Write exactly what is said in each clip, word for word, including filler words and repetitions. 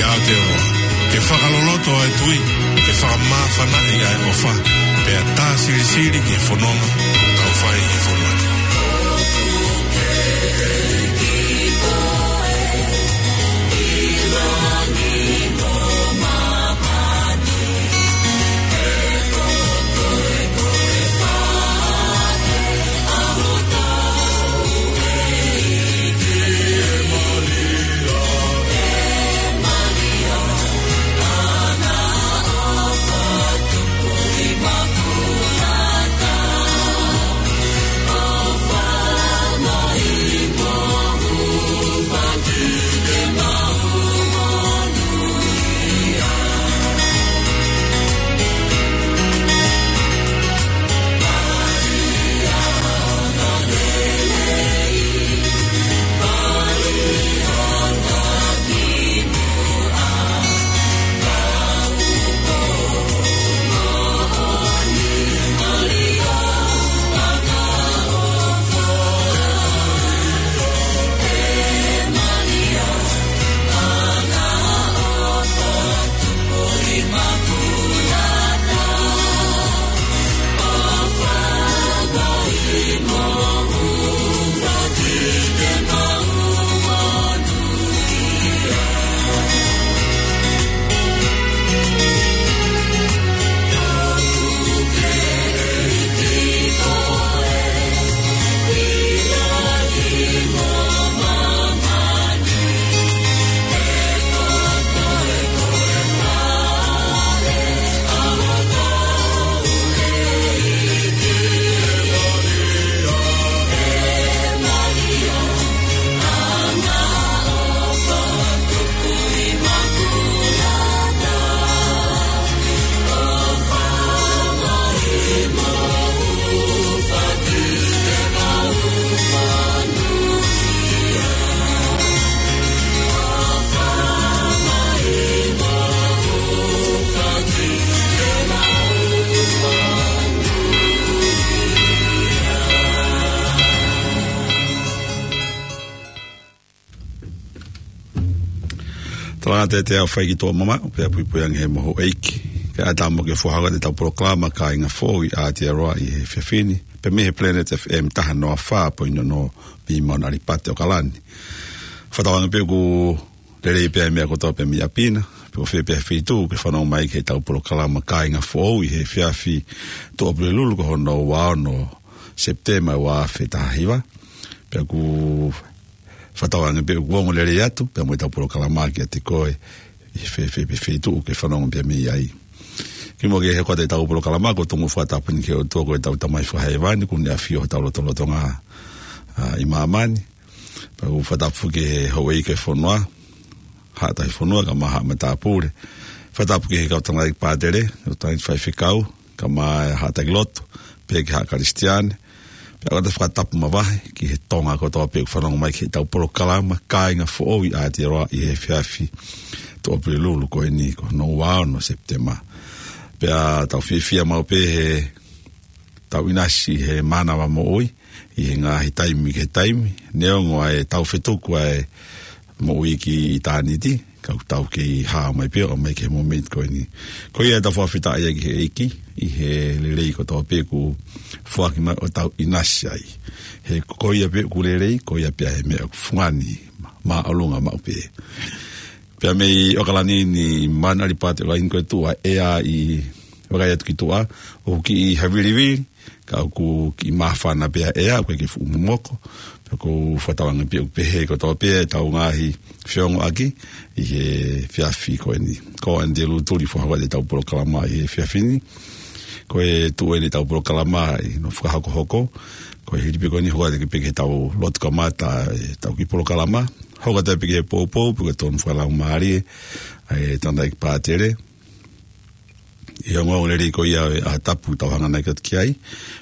Aotearoa, ke fakaloloto ʻa e tui, ke fakamāfanaʻi ʻa e ʻofa, pea tā silisili ki he fononga ʻoku tau fai ʻi he fonua ni. Tala atu ʻetau fai ki tuʻa mamaʻo, pea puipui ange he moho ʻeiki. Kae ʻatā mo ke fakahoko atu ʻetau polokalama Kāinga Foʻou ʻi Aotearoa ʻi he efiafi ni, pea mei he Planet F M taha noa fā poini ono mei Mauna Alipate ʻAokalani. Fakatauange pē ʻoku lelei pē ʻa e meʻa kotoa pē mei ʻapi na, pe ko fē pē feituʻu ke fanongo mai ki heʻetau polokalama Kāinga Foʻou ʻi he efiafi Tuʻapulelulu ko hono ua ono Sepitema ua afe taha hiva. Pea ʻoku fakatauange pē ʻoku ongo lelei atu pē mo ʻetau polokalama kiate koe ʻi he fē, fē pē feituʻu ke fanongo pē mei ai. Kimuʻa ke hoko atu ʻetau polokalama, ko e tonu fakatapu eni ki he ʻOtua ko ʻetau Tamai Fakahēvani, ʻoku ne ʻafio ʻi hotau lotolotonga, ʻa, ʻi māmani. Pea ʻoku fakatapu ki he houʻeiki ʻo e fonua, Haʻa Tahifonua, kae ʻumaʻā Haʻa Matāpule. Fakatapu ki he kau tangataʻeiki pātele, kau tangataʻeiki faifekau, kae ʻumaʻā e haʻa taki lotu, pea ki he haʻa Kalisitiane. Pea ʻoku ou fakatapu makehe ki he Tonga kotoa pē ʻoku fanongo mai ki heʻetau polokalama Kāinga Foʻou ʻi Aotearoa ʻi he efiafi Tuʻapulelulu ko eni, ko hono ua ono Sepitema. Pea tau fiefia maʻu pē he tau ʻinasi he mānava moʻui, ʻi he ngaahi taimi ki he taimi, neongo ʻa e tau fetuku ʻa e moʻui ki ʻitāniti, ka ʻoku tau kei hā mai pē ʻo aʻu mai ki he momeniti ko eni. Ko ia ʻetau fakafetaʻi ki he ʻEiki, ʻi he lelei kotoa pē ʻoku foaki mai ʻo tau ʻinasi ai. He ko ia pē ʻoku lelei, ko ia pē ʻa e meʻa ʻoku fungani, māʻolunga maʻu pē. Pea mei ʻAokalani ni, Mauna Alipate ʻAokalani ko e tuʻu ʻa e ʻea ʻi vakai atu ki tuʻa, ʻoku kiʻi havilivili, ka ʻoku kiʻi māfana pē ʻa e ʻea, ʻoku ʻikai ke fuʻu momoko. Pea ʻoku ou fakatauange pē ʻoku pehē kotoa pē ʻetau ngaahi feongoʻaki ʻi he efiafi ko eni. Ko ʻAnitelū Tuli fakahoko atu ʻetau polokalama ʻi he efiafi ni. Ko e tuʻu eni ʻetau polokalama ʻi hono fakahokohoko. Ko e hili pē ko eni hoko atu pē ki heʻetau lotu kamata ʻetau kiʻi polokalama. Hoko atu pē ki he poupou, pea ko e tonu fakalaumālie, ʻa e tangataʻeiki pātele. ʻI he ongoongo lelei ko ia ʻa e ʻaho tapu tau hanganaki atu ki ai.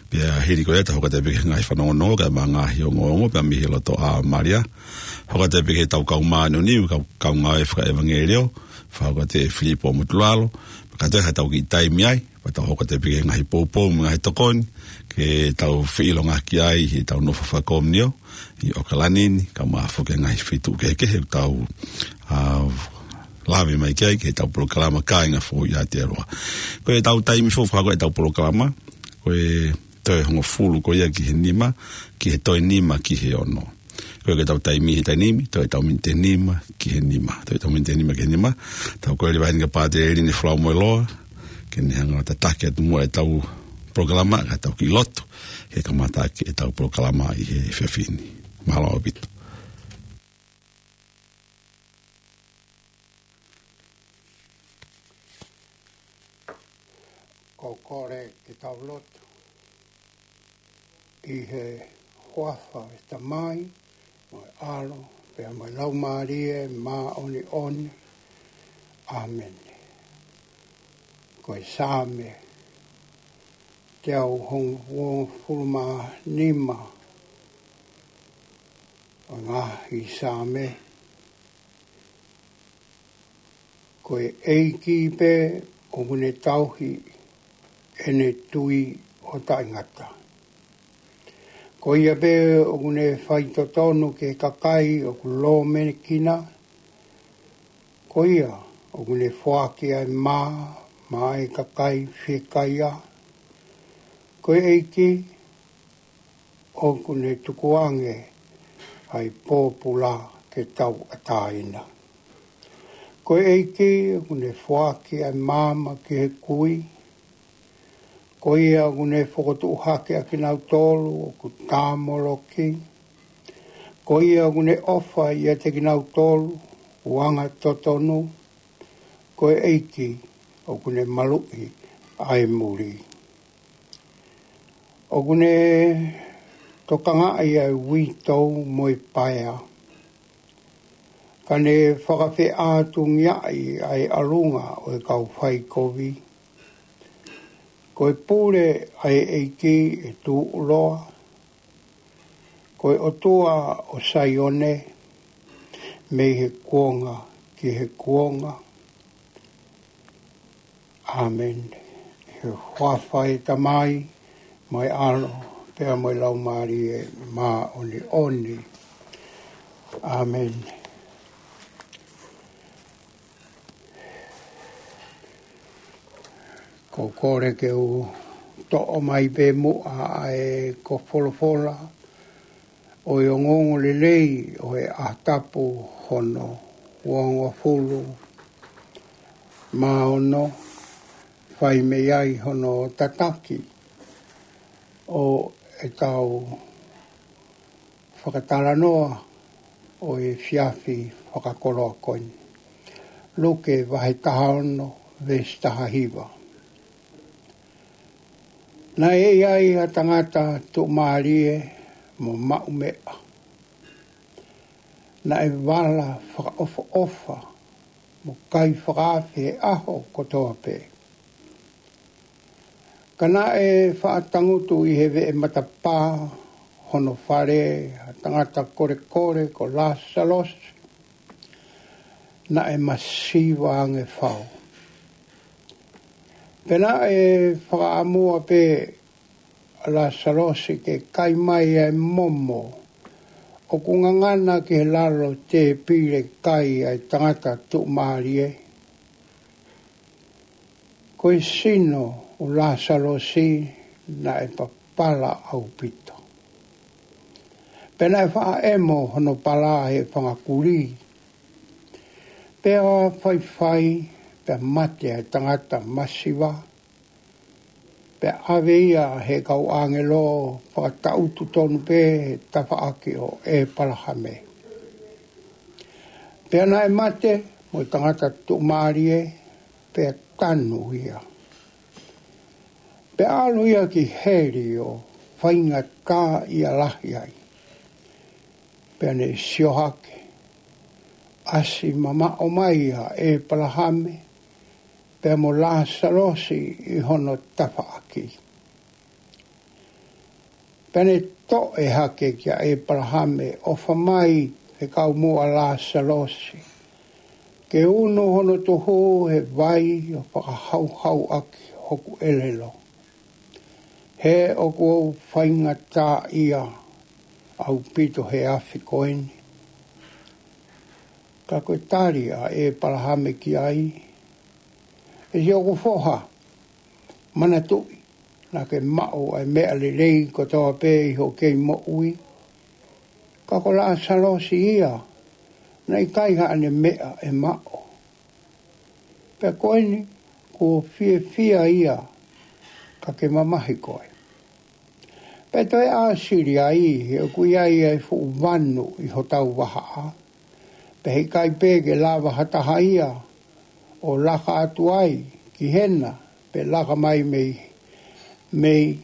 Pea hili ko ia tau hoko atu pē ki he ngaahi fanongonongo, kae ʻumaʻā e ngaahi ongoongo, pea mei he loto ʻa Malia. Hoko atu pē ki heʻetau kau māʻoniʻoni, kau, kau ngāue fakaʻevangeliō, fakahoko atu ʻe Filipo Motulalo. Pea ka toe ʻi ai haʻatau kiʻi taimi ai, pea tau hoko atu pē ki he ngaahi poupou mo e ngaahi tokoni, ke tau feʻilongaki ai heʻetau nofo fakakomiunio ʻi ʻAokalani ni, kae ʻumaʻā foki e ngaahi feituʻu kehekehe ʻoku tau, ʻa, Lave mai ki ai, ki heʻetau polokalama Kāinga Foʻou ʻi Aotearoa. Ko ʻetau taimi foʻou fakahoko ʻetau polokalama, ko e toe hongofulu ko ia ki he nima, ki he toe nima ki he ono. Ko ʻetau taimi he taimi ni, toe ʻetau miniti ʻe nima ki he nima. Toe ʻetau miniti ʻe nima ki he nima. Tau kole leva heni kia Pātele Line Folau Moeloa, ke ne hanga ʻo tataki atu muʻa ʻetau polokalama, ka tau kiʻi lotu, he kamata ʻaki ʻetau polokalama ʻi he efiafi ni. Mālō ʻaupito. Ko e kole ke tau lotu. ʻI he huafa ʻo e Tamai, mo e ʻAlo, pea mo e Laumālie Māʻoniʻoni. ʻĀmeni. Ko e Saame teau hongofulu mā nima ʻo e ngaahi Saame. Ko e ʻEiki pē ʻoku ne tauhi ʻene tui ʻo taʻengata. Ko ia pē ʻoku ne faitotonu ki he kakai ʻoku lōmekina. Ko ia ʻoku ne foaki ʻa e mā maʻa e kakai fiekaia. Ko e ʻEiki ʻoku ne tukuange ʻa e pōpula ke tauʻatāina. Ko e ʻEiki ʻoku ne foaki ʻa e maama ki he kui. Ko ia ʻoku ne fokotuʻu hake ʻa kinautolu ʻoku tāmoloki. Ko ia ʻoku ne ʻofa ʻiate kinautolu ʻoku angatotonu. Ko e ʻEiki ʻoku ne maluʻi ʻa e muli. ʻOku ne tokangaʻi ʻa e uitou mo e paea. Ka ne fakafeʻātungiaʻi ʻa e ʻalunga ʻo e kau faikovi. Ko e pule ʻa e ʻEiki ʻe tuʻuloa. Ko e ʻOtua ʻo Saione, mei he kuonga ki he kuonga. ʻĀmeni. ʻI he huafa ʻo e Tamai, mo e ʻAlo, pea mo e Laumālie Māʻoniʻoni. ʻĀmeni. Ko e kole ke u toʻo mai pē muʻa ʻa e kau folofola ʻo e ongoongolelei ʻo e ʻaho tapu hono uangofulu mā ono, fai mei ai hono tataki ʻo ʻetau fakatalanoa ʻo e efiafi fakakoloa ko eni. Luke vahe taha ono, veesi taha hiva. Naʻe ʻi ai ha tangata tuʻumālie mo maʻumeʻa. Naʻe vala fakaʻofoʻofa mo kai fakaafe he ʻaho kotoa pē. Ka naʻe faʻa tangutu ʻi he veʻe matapā hono fale ha tangata kolekole ko Lāsalosi, naʻe masiva ange fau. Pea naʻe fakaʻamua pē ʻa Lāsalosi ke kai mai ʻa e momo ʻoku ngangana ki he lalo tēpile kai ʻa e tangata tuʻumālie. Ko e sino ʻo Lāsalosi naʻe papala ʻaupito. Pea naʻe faʻa ʻemo hono pala he fanga kulī. Pea faifai, pea mate ʻa e tangata masiva. Pea ʻave ia ʻe he kau ʻāngelo fakataʻutu tonu pē he tafaʻaki ʻo ʻĒpalahame. Pea naʻe mate mo e tangata tuʻumālie, pea tanu ia. Pea ʻalu ia ki heli ʻo faingataʻaʻia lahi ai. Pea ne sio hake, ʻasi mamaʻo mai ʻa ʻĒpalahame, pea mo Lāsalosi ʻi hono tafaʻaki. Pea ne toʻe hake kia ʻĒpalahame, ʻofa mai fekau muʻa Lāsalosi, ke unu hono tuhu he vai ʻo fakahauhauʻaki hoku ʻelelo. He ʻoku ou faingataʻaʻia ʻaupito he afi ko eni. Ka ko e tali ʻa ʻĒpalahame ki ai, ʻE siʻoku foha, manatuʻi, naʻa ke maʻu ʻa e meʻa lelei kotoa pē ʻi hoʻo kei moʻui. Ka ko Lasalosi ia, naʻe ʻikai haʻane meʻa ʻe maʻu. Pea ko eni, kuo fiefia ia, ka ke mamahi koe. Pea toe ʻāsili ai, he ʻoku ʻi ai ʻa e fuʻu vanu ʻi hotau vahaʻa. Pea heʻikai pē ke lava ha taha ia, ʻo laka atu ai ki hena, pe laka mai mei, mei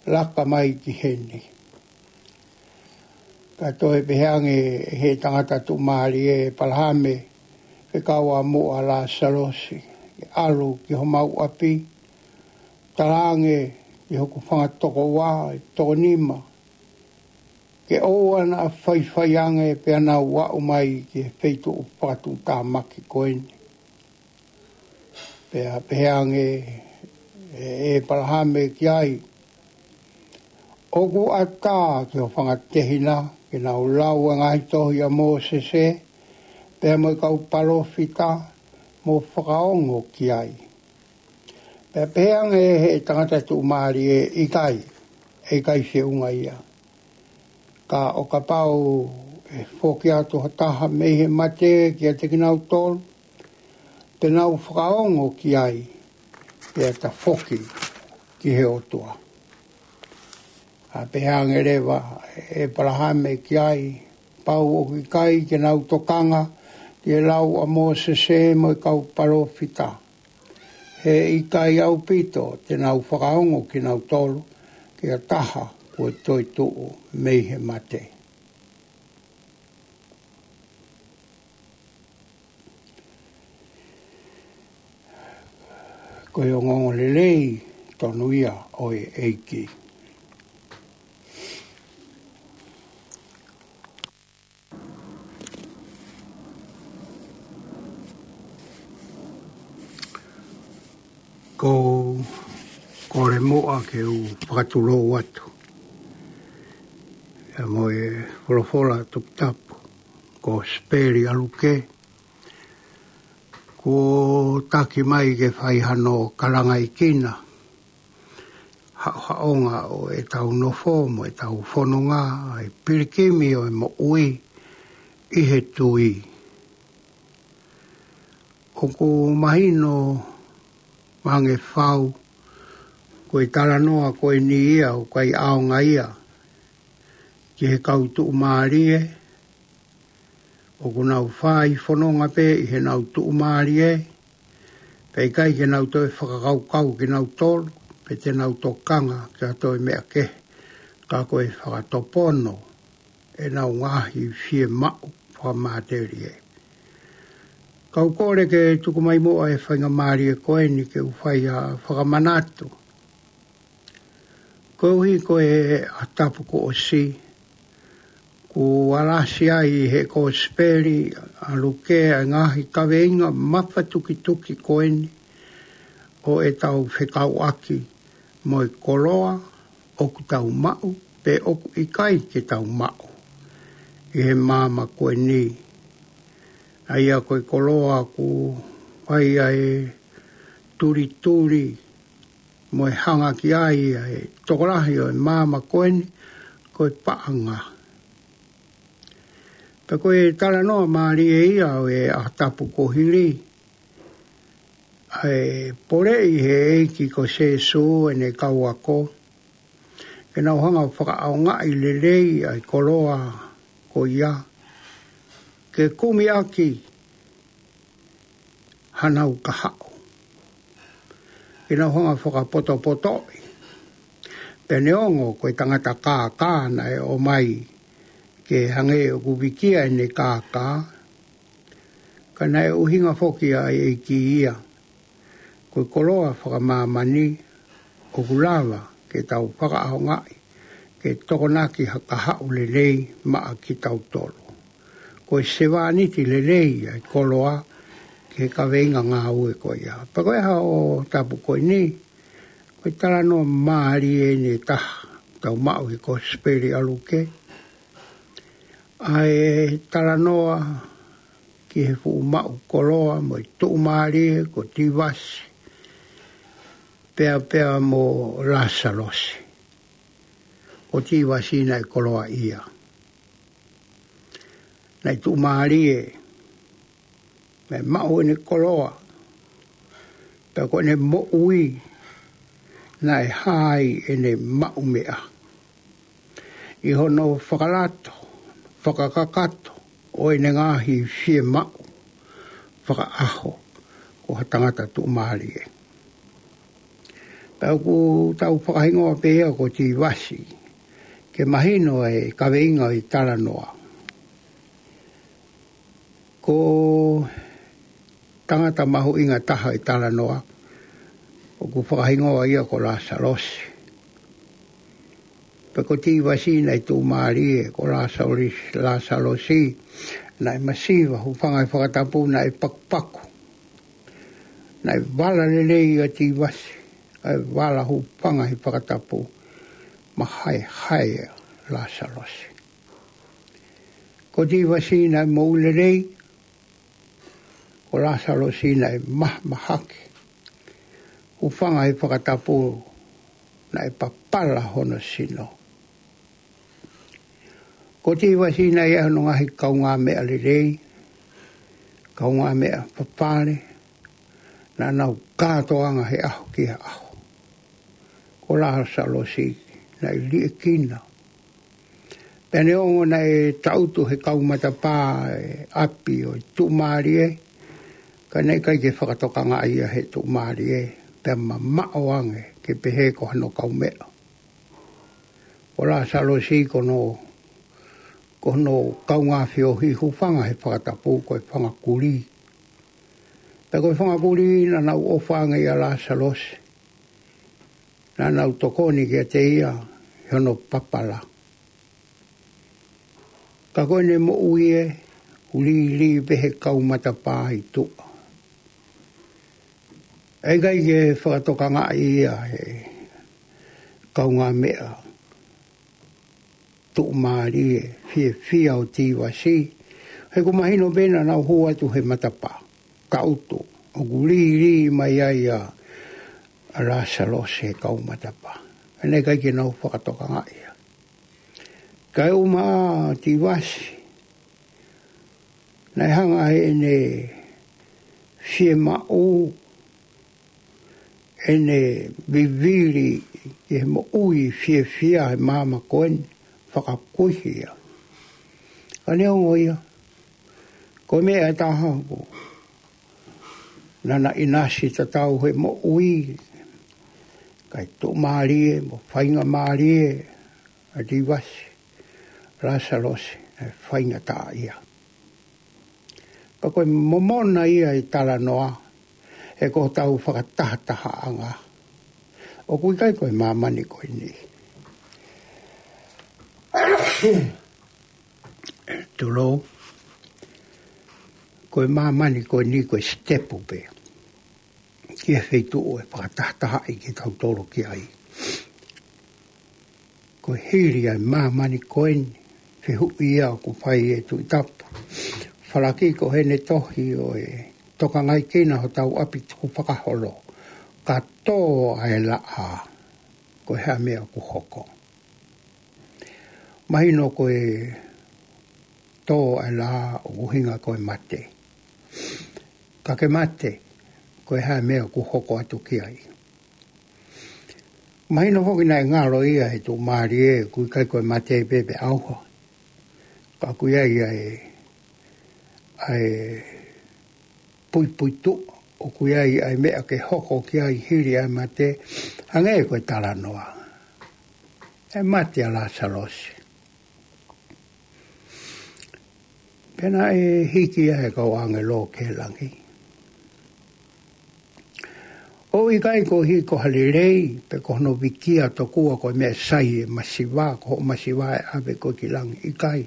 laka mai ki heni. Ka toe pehē ange ʻe he tangata tuʻumālie ʻa ʻĒpalahame, fekau ʻa muʻa Lasalosi, ke ʻalu ki homau ʻapi, talaange ki hoku fanga tokoua, ʻe toko nima, ke ʻoua naʻa faifai ange pea nau aʻu mai ki he feituʻu fakatuʻutāmaki ko eni. Pea pehē ange ʻe, ʻe ʻĒpalahame ki ai, ʻOku ʻatā ki ho fanga tehina, ke nau lau ʻa e ngaahi tohi ʻa Mōsese, pea mo e kau palōfita, mo fakaongo ki ai. Pea pehē ange ʻe he tangata tuʻumālie, ʻIkai, ʻe ʻikai feʻunga ia. Ka ʻo kapau ʻe foki atu ha taha mei he mate kiate kinautolu, te nau fakaongo ki ai, pea ta foki ki he ʻOtua. ʻA pehē ange leva ʻe ʻĒpalahame ki ai, Pau ʻoku ʻikai ke nau tokanga ki he lau ʻa Mōsese mo e kau palōfita. He ʻikai ʻaupito te nau fakaongo kinautolu ki ha taha kuo toetuʻu mei he mate. Ko e ongoongolelei tonu ia ʻo e ʻEiki. Ko, kole muʻa ke u fakatulou atu ia mo e folofola toputapu, Kosipeli ʻa Luke, kuo taki mai ke fai hano kalangaʻi kina haʻohaʻonga ʻo ʻetau nofo mo ʻetau fononga, ʻa e pilikimi ʻo e moʻui ʻi he tui. ʻOku mahino mahalo ʻe fau, ko e talanoa ko eni ia ʻoku ʻikai ʻaonga ia ki he kau tuʻumālie, ʻoku nau fai fononga pē ʻi heʻenau tuʻumālie, pea ʻikai ke nau toe fakakaukau kinautolu, pe te nau tokanga ki ha toe meʻa kehe, ka ko e fakatopono ʻenau ngaahi fiemaʻu fakamatelie. Kau kole ke tuku mai muʻa e faingamālie ko eni ke u fai ha fakamanatu. Koeʻuhi ko e ʻaho tapu kuo ʻosi, kuo alasi ai ʻe he Kosipeli ʻa Luke ʻa e ngaahi kaveinga mafatukituki ko eni ʻo ʻetau fekauʻaki mo e koloa ʻoku tau maʻu pe ʻoku ʻikai ke tau maʻu ʻi he māmani ko eni. ʻA ia ko e koloa ʻoku ʻi ai ʻa e tulituli mo e hanga ki ai ʻa e tokolahi ʻo e māmani ko eni, ko e paʻanga. Pea ko e talanoa mālie ia ʻo e ʻaho tapu kuo hili, ʻa e poleʻi ʻe he ʻEiki ko Sīsū ʻene kau ako, ke nau hanga ʻo fakaʻaongaʻi lelei ʻa e koloa ko ia, ke kumi ʻaki hanau kahaʻu, ke nau hanga ʻo fakapotopotoʻi. Pea neongo ko e tangata kākā naʻe ʻomai ke hangē ʻoku vikia ʻene kākā, ka naʻe ʻuhinga foki ʻa e ʻEiki ia, ko e koloa fakamāmani ʻoku lava ke tau fakaʻaongaʻi ke tokonaki ha kahaʻu lelei maʻa kitautolu. Ko e sevāniti lelei ʻa e koloa ki he kaveinga ngāue ko ia. Pea ko e ʻaho tapu ko eni, ko e talanoa mālie ʻeni ʻe taha ʻoku tau maʻu ʻi he Kosipeli ʻa Luke. ʻA e talanoa ʻi he fuʻu maʻu koloa mo e tuʻumālie ko Tivasi, pea pea mo Lasalosi. Ko Tivasi naʻe koloaʻia. Naʻe tuʻumālie, naʻe maʻu ʻene koloa, pea ko ʻene moʻui naʻe hā ai ʻene maʻu meʻa ʻi hono fakalato, fakakakato ʻo ʻene ngaahi fiemaʻu fakaʻaho ko ha tangata tuʻumālie. Pea ʻoku tau fakahingoa pē ia ko Tivasi, ke mahino e kaveinga ʻo e talanoa. Ko e tangata mahuʻinga taha ʻi he talanoa, ʻoku fakahingoa ia ko Lasalosi. Pea ko Tivasi naʻe tuʻumālie, ko Lasalosi, Lasalosi naʻe masiva, hūfanga he fakatapu naʻe pakupaku. Naʻe vala lelei ʻa Tivasi, ʻa e vala hūfanga he fakatapu, mahaehae ʻa Lasalosi. Ko Tivasi naʻe moʻui lelei, ko Lasalosi naʻe mahamahaki, hūfanga he fakatapu naʻe papala hono sino. Ko Tivasi naʻe ʻi ai hono ngaahi kaungāmeʻa lelei, kaungāmeʻa fafale, naʻa nau kātoanga he ʻaho ki he ʻaho. Ko Lasalosi naʻe liʻekina. Pea neongo naʻe taʻutu he kau matapā e ʻapi ʻo e tuʻumālie, ka naʻe ʻikai ke fakatokangaʻi ia he tuʻumālie, pea mamaʻo ange ke pehē ko hano kaumeʻa. Ko Lasalosi ko hono, ko hono kaungā feohi, hūfanga he fakatapu ko e fanga kulī. Pea ko e fanga kulī naʻa nau ʻofa ange ʻia Lasalosi, naʻa nau tokoni kiate ia ʻi hono papala. Ka ko ʻene moʻui ē, ʻoku lī pē he kau matapā ʻi tuʻa. ʻE ʻikai ke fakatokangaʻi ia he kaungāmeʻa tuʻumālie fiefia ʻo Tivasi. He ʻoku mahino pē naʻa nau hū atu he matapā, taʻutu, ʻoku lī mai ai ʻa, ʻa Lasalosi he kau matapā. Ka naʻe ʻikai ke nau fakatokangaʻi ia. Kae ʻumaʻā ʻa Tivasi, naʻe hanga ʻe heʻene fiemaʻu, ʻene vivili ki he moʻui fiefia he māmani ko eni, fakakuihi ia. Ka neongo ia, ko e meʻa ʻe taha ʻoku, naʻa na ʻinasi tatau he moʻui, kae tuʻumālie mo faingamālie ʻa Tivasi, Lasalosi naʻe faingataʻaʻia. Ka ko e momona ia ʻi he talanoa, he ko hotau fakatahatahaʻanga, ʻoku ʻikai ko e māmani ko eni. Tulou, ko e māmani ko eni ko e sitepu pē ki he feituʻu ʻe fakatahatahaʻi kitautolu ki ai. Ko e hili ʻa e māmani ko eni, fehuʻi ia ʻoku fai ʻe Tuʻi Tapu Falaki ko ʻene tohi ʻo e tokangaʻi kinautolu hotau ʻapi tukufakaholo, ka tō ʻa e laʻā, ko e hā e meʻa ʻoku hoko? Mahino ko e tō ʻa e laʻā ʻoku ʻuhinga ko e mate. Ka ke mate, ko e hā e meʻa ʻoku hoko atu ki ai? Mahino foki naʻe ngalo ia he tuʻumālie, ʻoku ʻikai ko e mate pē pe ʻauha. Ka ʻoku ʻi ai ʻa e, ʻa e puipuituʻa, ʻoku ʻi ai ʻa e meʻa ke hoko ki ai hili ʻa e mate, hangē ko e talanoa. ʻE mate ʻa Lasalosi. Pea naʻe hiki ia he kau ʻāngelo ki langi. ʻOku ʻikai ko e hiko ha lelei, pe ko hono vikia tokua ko e meʻa sai e masiva, ko hoʻo masiva ʻe ʻave koe ki langi, ʻikai.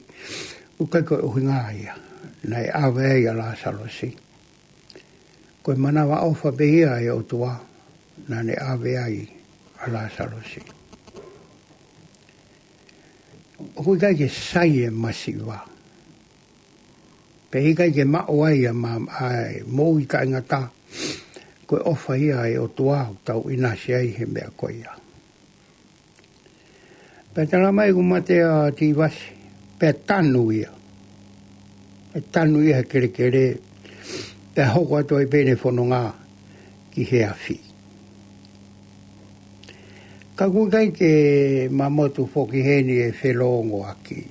ʻOku ʻikai ko e ʻuhinga ia naʻe ʻave ai ʻa Lasalosi. Ko e manavaʻofa pē ia ʻa e ʻOtua naʻa ne ʻave ai ʻa Lasalosi. ʻOku ʻikai ke sai e masiva. Pea ʻikai ke maʻu ai ʻa e ma-, ʻa e moʻui taʻengata. Ko e ʻofa ia ʻa e ʻOtua ʻoku tau ʻinasi ai he meʻa ko ia. Pea tala mai kuo mate ʻa Tīvasi, pea tanu ia. Pea tanu ia he kelekele, pea hoko atu ai pē ʻene fononga ki he afi. Ka ʻoku ʻikai ke mamotu foki heni e felōngoaki.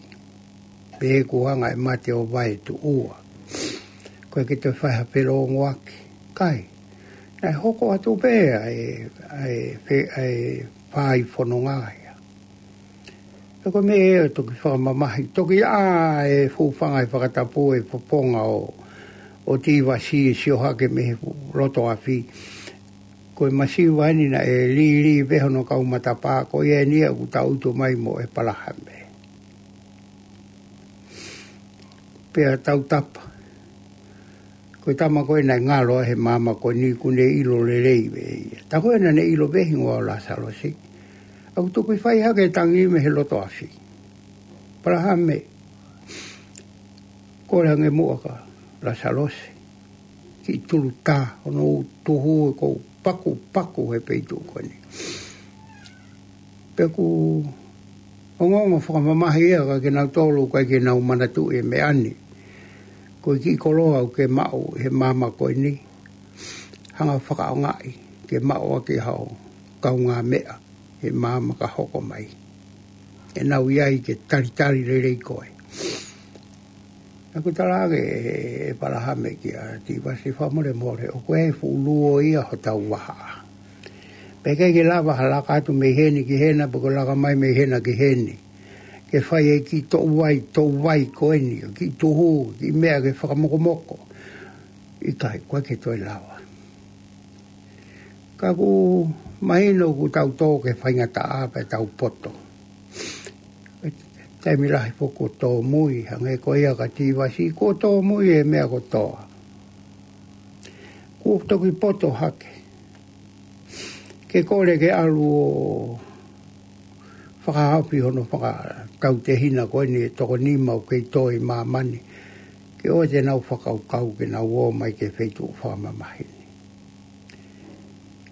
Pe ʻoku hanga ʻe mate ʻo vaetuʻua. ʻOku ʻikai ke toe fai ha felōngoaki. ʻIkai. Naʻe hoko atu pē ʻa e, ʻa e fe-, ʻa e fai fononga ia. Pea ko e meʻa ʻe toki fakamamahi. Toki ʻā e fuʻu fanga ʻi he fakatapu e fofonga ʻo, ʻo Tīvasi ʻo sio hake mei he loto afi. Ko e masiva eni naʻe lī, lī pē hono kau matapā, ko ia eni ia ʻoku tau ʻutu mai mo ʻEpalahame. Pea tautapa. Ko e tama ko ē naʻe ngalo he maama ko eni ʻoku ne ʻilo lelei pē ia. Tā ko ē naʻa ne ʻilo pē hingoa ʻo Lasalosi. ʻOku tuku ʻi fai hake tangi mei he loto afi. ʻEpalahame, kole ange muʻa kia Lasalosi. Kiʻi tulu tā, hono tuhu ʻoku pakupaku he peito ko eni. Pea ʻoku ongoongo fakamamahi ia ka ke nau tolu ʻikai ke nau manatuʻi e meʻa ni. Ko e kiʻi koloa ʻoku ke maʻu he maama ko eni. Hanga fakaʻaongaʻi ke maʻu ʻaki hao kaungāmeʻa he maama ka hoko mai. ʻE nau ʻi ai ke talitali lelei koe. Naʻa ku tala ange ʻe, ʻe ʻEpalahame kia Tīvasi fakamolemole, ʻoku ʻi ai e fuʻu luo ia hotau vahaʻa. Pea ʻikai ke lava ha laka atu mei heni ki hena, pe ko e laka mai mei hena ki heni. Ke fai e kiʻi toʻu vai, toʻu vai ko eni, kiʻi tuhu, kiʻi meʻa ke fakamokomoko. ʻIkai, ʻoku ʻikai ke toe lava. Ka ʻoku mahino ʻoku tau tō ki he faingataʻa pea tau poto. Taimi lahi foki kuo tōmui, hangē ko ia kia Tīvasi, kuo tōmui e meʻa kotoa. Kuo toki poto hake. Ke kole ke ʻalu ʻo fakahaofi hono fakatautehina ko eni e toko nima ʻoku kei tō ʻi māmani. Ke ʻoua te nau fakakaukau ke nau ō mai ki he feituʻu fakamamahi ni.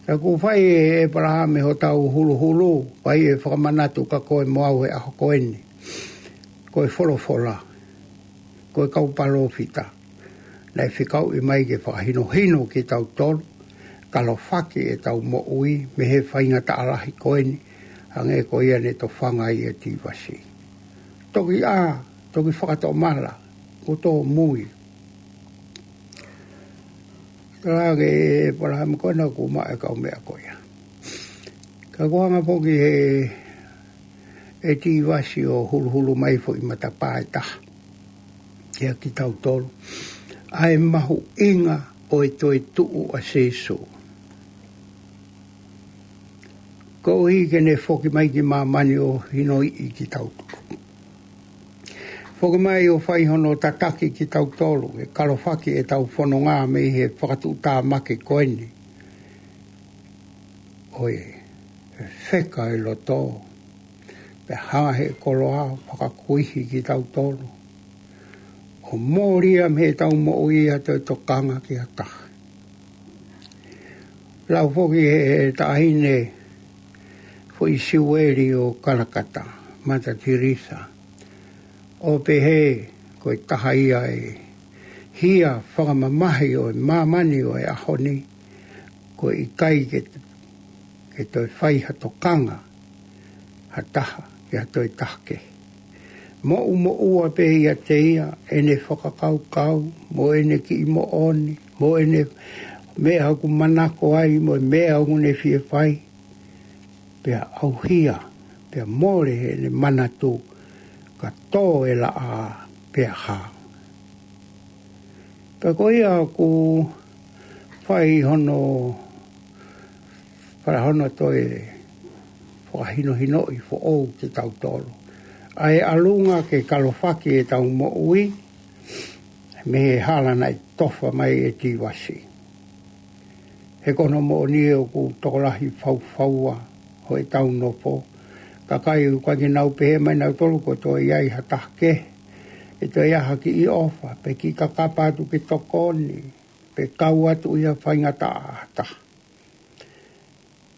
Ka kuo fai ʻe ʻEpalahame hotau huluhulu, fai e fakamanatu kia koe mo au he ʻaho ko eni. Ko e folofola, ko e kau palōfita. Naʻe fekauʻi mai ke fakahinohino kitautolu, kalofaki ʻetau moʻui, mei he faingataʻa lahi ko eni, hangē ko ia ne tofanga ai ʻa Tīvasi. Toki ʻā, toki fakatomala, kuo tōmui. Tala ange ʻe ʻEpalahame ko ena kuo maʻu e kaumeʻa ko ia. Ka kuo hanga foki ʻe, ʻe Tīvasi ʻo huluhulu mai foʻi matapā ʻe taha. Kia kitautolu. ʻA e mahuʻinga ʻo e toetuʻu ʻa Sīsū. Koeʻuhi ke ne foki mai ki māmani ʻo hinoiʻi kitautolu. Foki mai ʻo fai hono tataki kitautolu, ke kalofaki ʻetau fononga mei he fakatuʻutāmaki ko eni. ʻOi, ʻe feka e loto, pea hanga he koloa ʻo fakakuihi kitautolu. ʻO mōlia mei heʻetau moʻui ʻa e toe tokanga ki ha taha. Lau foki ʻe he taʻahine foʻi Siueli ʻo Kalakata, Mata Tirisa. ʻO pehē ko e taha ia e hia fakamamahi ʻo e māmani ʻo e ʻaho ni, ko e ʻikai ke, ke toe fai ha tokanga, ha taha, ke ha toe taha kehe. Moʻumoʻua pē ʻiate ia, ʻene fakakaukau, mo ʻene kiʻi moʻoni, mo ʻene meʻa ʻoku manako ai, mo e meʻa ʻoku ne fie fai. Pea ʻauhia, pea mole ʻene manatu, ka tō e laʻā, pea hā. Pea ko ia ʻoku fai hono, fai hono toe fakahinohinoʻi foʻou kitautolu. ʻA e ʻalunga ke kalofaki ʻetau moʻui, mei he hala naʻe tofa mai ʻe Tīvasi. He ko hono moʻoni ʻoku tokolahi faufaua ʻo ʻetau nofo. Kakai ʻoku ʻikai ke nau pehē mai nautolu kuo toe ʻi ai ha taha kehe. ʻE toe ʻi ai ha kiʻi ʻofa, pe kiʻi kakapa atu ke tokoni, pe kau atu ʻi ha faingataʻa ʻa ha taha.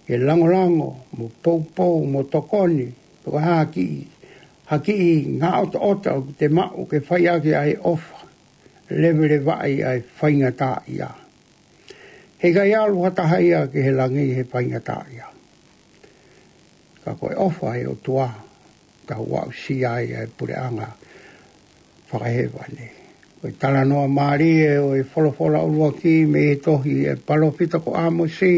Ke langolango, mo poupou, mo tokoni, pe ko ha kiʻi, ha kiʻi ngaʻotoʻota ʻoku te maʻu ke fai ʻaki ʻa e ʻofa, levelevaʻi ʻa e faingataʻaʻia. Heʻikai ʻalu ha taha ia ki he langi he faingataʻaʻia. Ka ko e ʻofa ʻa e ʻOtua, tau aʻusia ai ʻa e puleʻanga fakahēvani. Ko e talanoa mālie ʻo e folofola ʻuluaki mei he tohi ʻa e palōfita ko ʻĀmosi,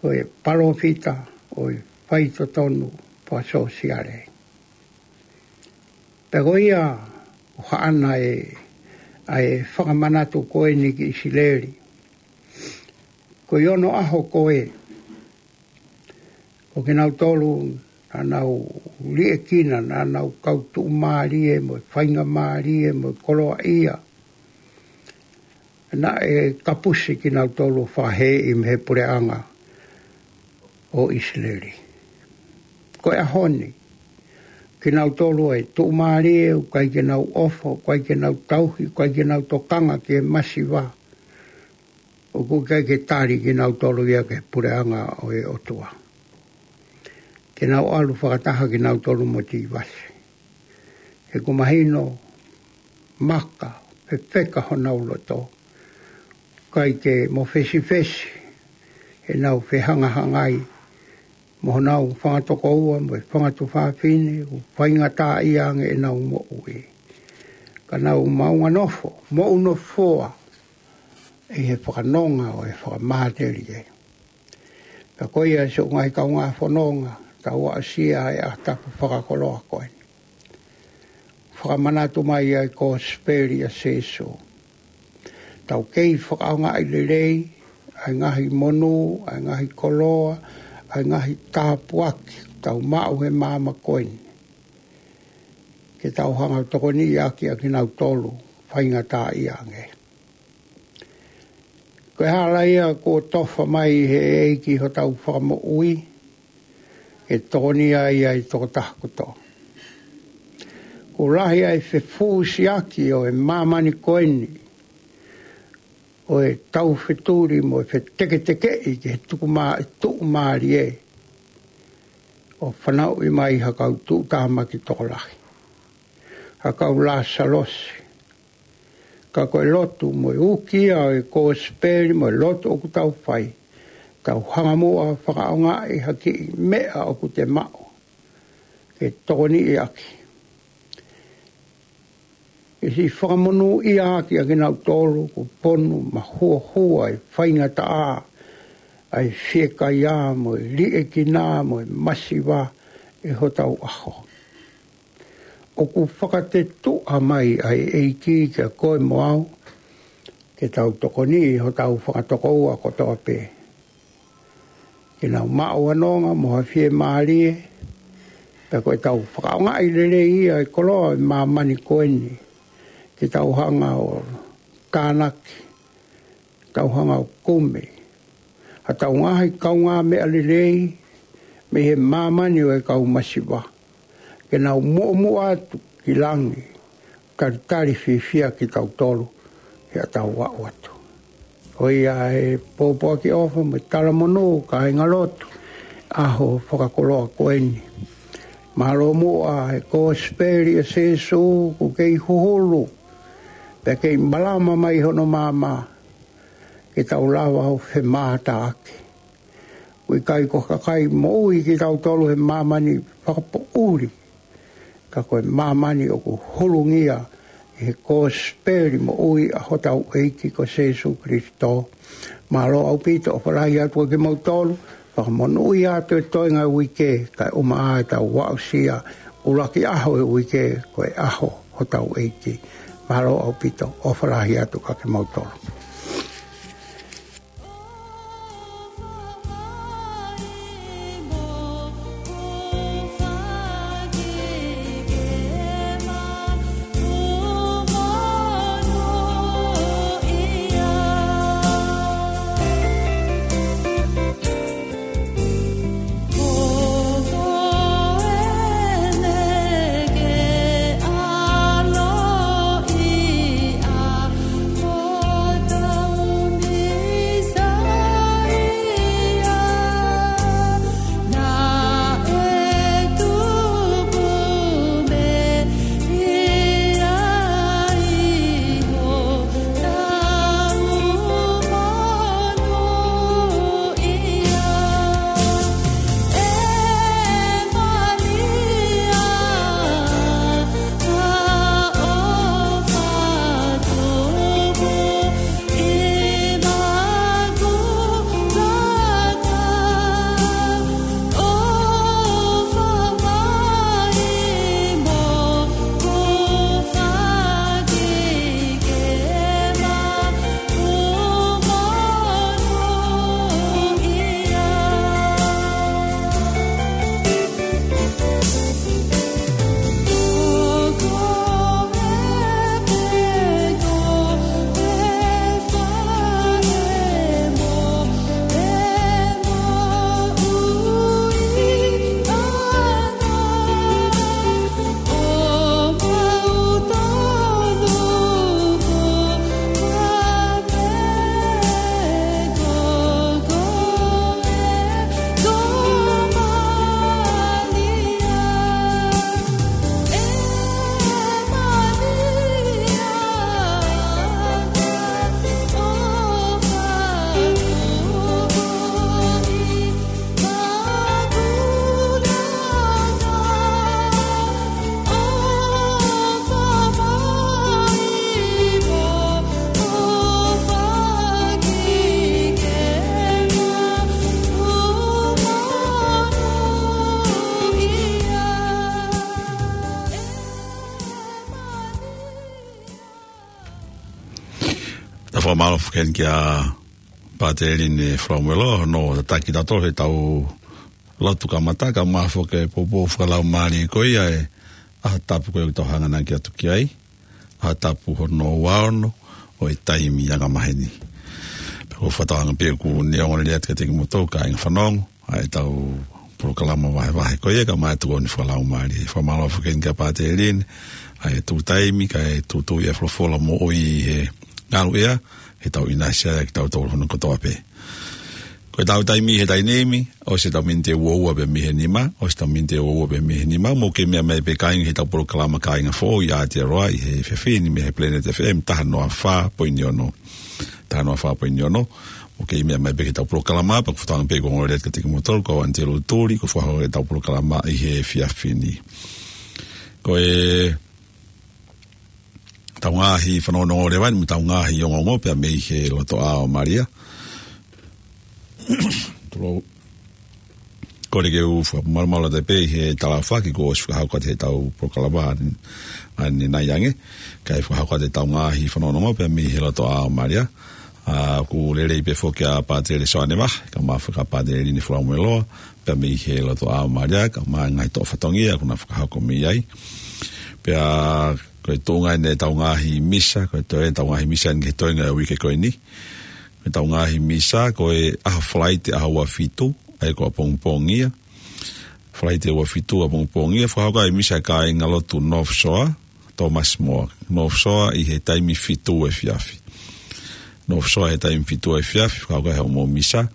ko e palōfita ʻo e faitotonu fakasōsiale. Pea ko ia ʻoku haʻana ʻa e, ʻa e fakamanatu ko eni ki ʻIsileli. Ko e ono ʻaho ko ē, ko kinautolu naʻa nau liʻekina, naʻa nau kau tuʻumālie mo e faingamālie mo e koloaʻia, naʻe kapusi kinautolu ʻo fakahēʻi mei he puleʻanga ʻo ʻIsileli. Ko e ʻaho ni, kinautolu ʻa e tuʻumālie, ʻoku ʻikai ke nau ʻofa, ʻoku ʻikai ke nau tauhi, ʻoku ʻikai ke nau tokanga ki he masiva, ʻoku ʻikai ke tali kinautolu ia ki he puleʻanga ʻo e ʻOtua. Ke nau ʻalu fakataha kinautolu mo Tīvasi. He ʻoku mahino maka, fefeka honau loto. ʻIkai ke mofesifesi ʻenau fehangahangai mo honau fanga tokoua mo e fanga tuofāfine, ʻoku faingataʻaʻia ange ʻenau moʻui. Ka nau maʻu nofo, moʻunofoa ʻi he fakanonga ʻo e fakamatelie. Pea ko ia siʻoku ngaahi kaungā fononga, tau aʻusia ʻa e ʻaho tapu fakakoloa ko eni. Fakamanatu mai ʻa e kosipeli ʻa Sīsū. Tau kei fakaʻaongaʻi lelei ʻa e ngaahi monū, ʻa e ngaahi koloa, ʻa e ngaahi tāpuaki tau maʻu he māmani ko eni, ke tau hanga ʻo tokoniʻi ʻaki ʻa kinautolu faingataʻaʻia ange. Ko e hala ia kuo tofa mai he ʻEiki hotau fakamoʻui, ke tokoniʻi ai ʻa e tokotaha kotoa. Kuo lahi ʻa e fefusiaki ʻo e māmani ko eni, ʻo e taufetuli mo e feteketekeʻi ki he tukumā-, tuʻumālie, ʻo fanauʻi mai ha kau tuʻutāmaki tokolahi, ha kau Lāsalosi. Ka ko e lotu mo e uki ia ʻo e kosipeli mo e lotu ʻoku tau fai, tau hanga muʻa ʻo fakaʻaongaʻi ha kiʻi meʻa ʻoku te maʻu, ke tokoniʻi ʻaki, ke siʻi fakamonūʻia ʻaki ʻa kinautolu kuo ponu mahuohua ʻi he faingataʻa, ʻa e fiekaia mo e liʻekina mo e masiva ʻi hotau ʻaho. ʻOku fakatetuʻa mai ʻa e ʻEiki kiate koe mo au, ke tau tokoniʻi hotau fanga tokoua kotoa pē, ke nau maʻu ha nonga mo ha fiemālie, pea ko ʻetau fakaʻaongaʻi lelei ia ʻa e koloa ʻo e māmani ko eni, ke tau hanga ʻo tānaki, tau hanga ʻo kumi ha tau ngaahi kaungāmeʻa lelei mei he māmani ʻo e kau masiva, ke nau muʻomuʻa atu ki langi, talitali fiefia kitautolu ʻi heʻetau aʻu atu. Ko ia ʻa e pōpoaki ʻofa mo e talamonū, kāinga lotu, ʻaho fakakoloa ko eni. Mālō muʻa ʻa e kosipeli ʻa Sīsū kuo kei huhulu, pea kei malama mai hono maama, ke tau lava ʻo femātaaki. ʻOku ʻikai ko e kakai moʻui kitautolu he māmani fakapoʻuli, ka ko e māmani ʻoku hulungia ʻi he kosipeli moʻui ʻa hotau ʻEiki ko Sīsū Kalaisi. Mālō ʻaupito, ʻofa lahi atu kiate kimoutolu, fakamonūʻia atu e toenga e uike, kae ʻumaʻā ʻetau aʻusia ʻuluaki ʻaho e uike, ko e ʻaho hotau ʻEiki. Mālō ʻaupito, ʻofa lahi atu kiate kimoutolu. Fakamālō foki heni kia Pātele Line Falamuelo, hono tataki tautolu he tau lotu kamata, kae ʻumaʻā foki e poupou fakalaumālie ko ia e ʻaho tapu ko ia ʻoku tau hanganaki atu ki ai, ʻaho tapu hono ua ono ʻo e taimi angamaheni. Pea ʻoku ou fakatauange pē ʻoku ne ongoongolelei atu kiate kimoutolu kāinga fanongo ʻa e tau polokalama vahevahe ko ia, kae ʻumaʻā e tokoni fakalaumālie. Fakamālō foki heni kia Pātele Line, ʻa e tuʻu taimi, kae tuʻutuʻu e folofola moʻui he ngaluʻea, he tau ʻinasi ai kitautolu hono kotoa pē. Ko e tau taimi he taimi ni, ʻosi e tau miniti ʻe ua ua pē mei he nima, ʻosi e tau miniti ʻe ua ua pē mei he nima, mou kei meʻa mai pē kāinga he tau polokalama Kāinga Foʻou ʻi Aotearoa ʻi he efiafi ni mei he Planet F M taha noa fā poini ono. Taha noa fā poini ono. Mou kei meʻa mai pē he tau polokalama, pea ʻoku ou fakatauange pē ʻoku ongoongolelei atu kiate kimoutolu, ko au Anitelu Tuli, ʻoku ou fakahoko e tau polokalama ʻi he efiafi ni. Ko e tau ngaahi fanongonongo leva eni, mo e tau ngaahi ongoongo pea mei he Lotoʻā ʻo Malia. Tulou. Kole ke u fakamalumalu atu pē ʻi he talaʻofa kuo ʻosi fakahoko atu he tau polokalama ʻanenai ange. Kae fakahoko atu e tau ngaahi fanongonongo pea mei he Lotoʻā ʻo Malia. ʻA, ʻoku lelei pē foki ʻa Pātele Soane Vahe, kae ʻumaʻā foki ʻa Pātele Line Falamuelo, pea mei he Lotoʻā ʻo Malia, kae ʻumaʻā e ngaahi toʻo fatongia ʻoku na fakahoko mei ai. Pea ko e tuʻunga eni e tau ngaahi misa, ko e toe tau ngaahi misa eni ki he toenga e uike ko eni. Ko e tau ngaahi misa, ko e ʻaho Falaite ʻaho ua fitu, ʻa ia ko ʻapongipongi ia. Falaite ua fitu ʻapongipongi ia, fakahoko ai e misa e kāinga lotu North Shore, Thomas More. North Shore ʻi he taimi fitu efiafi. North Shore he taimi fitu efiafi, fakahoko ai hoʻomou misa.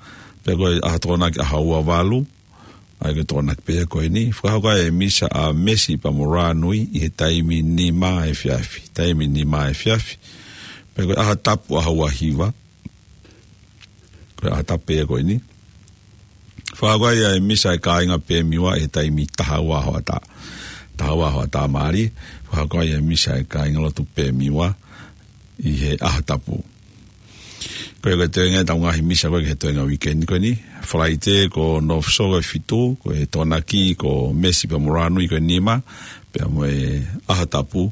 Pea ko e ʻaho Tokonaki ʻaho ua valu, ʻa ia ko e Tokonaki pē ia ko eni. Fakahoko ai e misa ʻa Mesi pea mo Rānui ʻi he taimi nima efiafi. Taimi nima efiafi. Pea ko e ʻaho Tapu ʻaho ua hiva. Ko e ʻaho Tapu pē ia ko eni. Fakahoko ai e misa e kāinga Pemiwa ʻi he taimi taha ua hoʻatā. Taha ua hoʻatā mālie. Fakahoko ai e misa e kāinga lotu Pemiwa ʻi he ʻaho Tapu. Ko ia ko e toenga e tau ngaahi misa ko ia ki he toenga uike ni ko eni. Falaite ko North Shore ko e fitu, ko e Tokonaki ko Mesi pea mo Rānui ko e nima, pea mo e ʻaho Tapu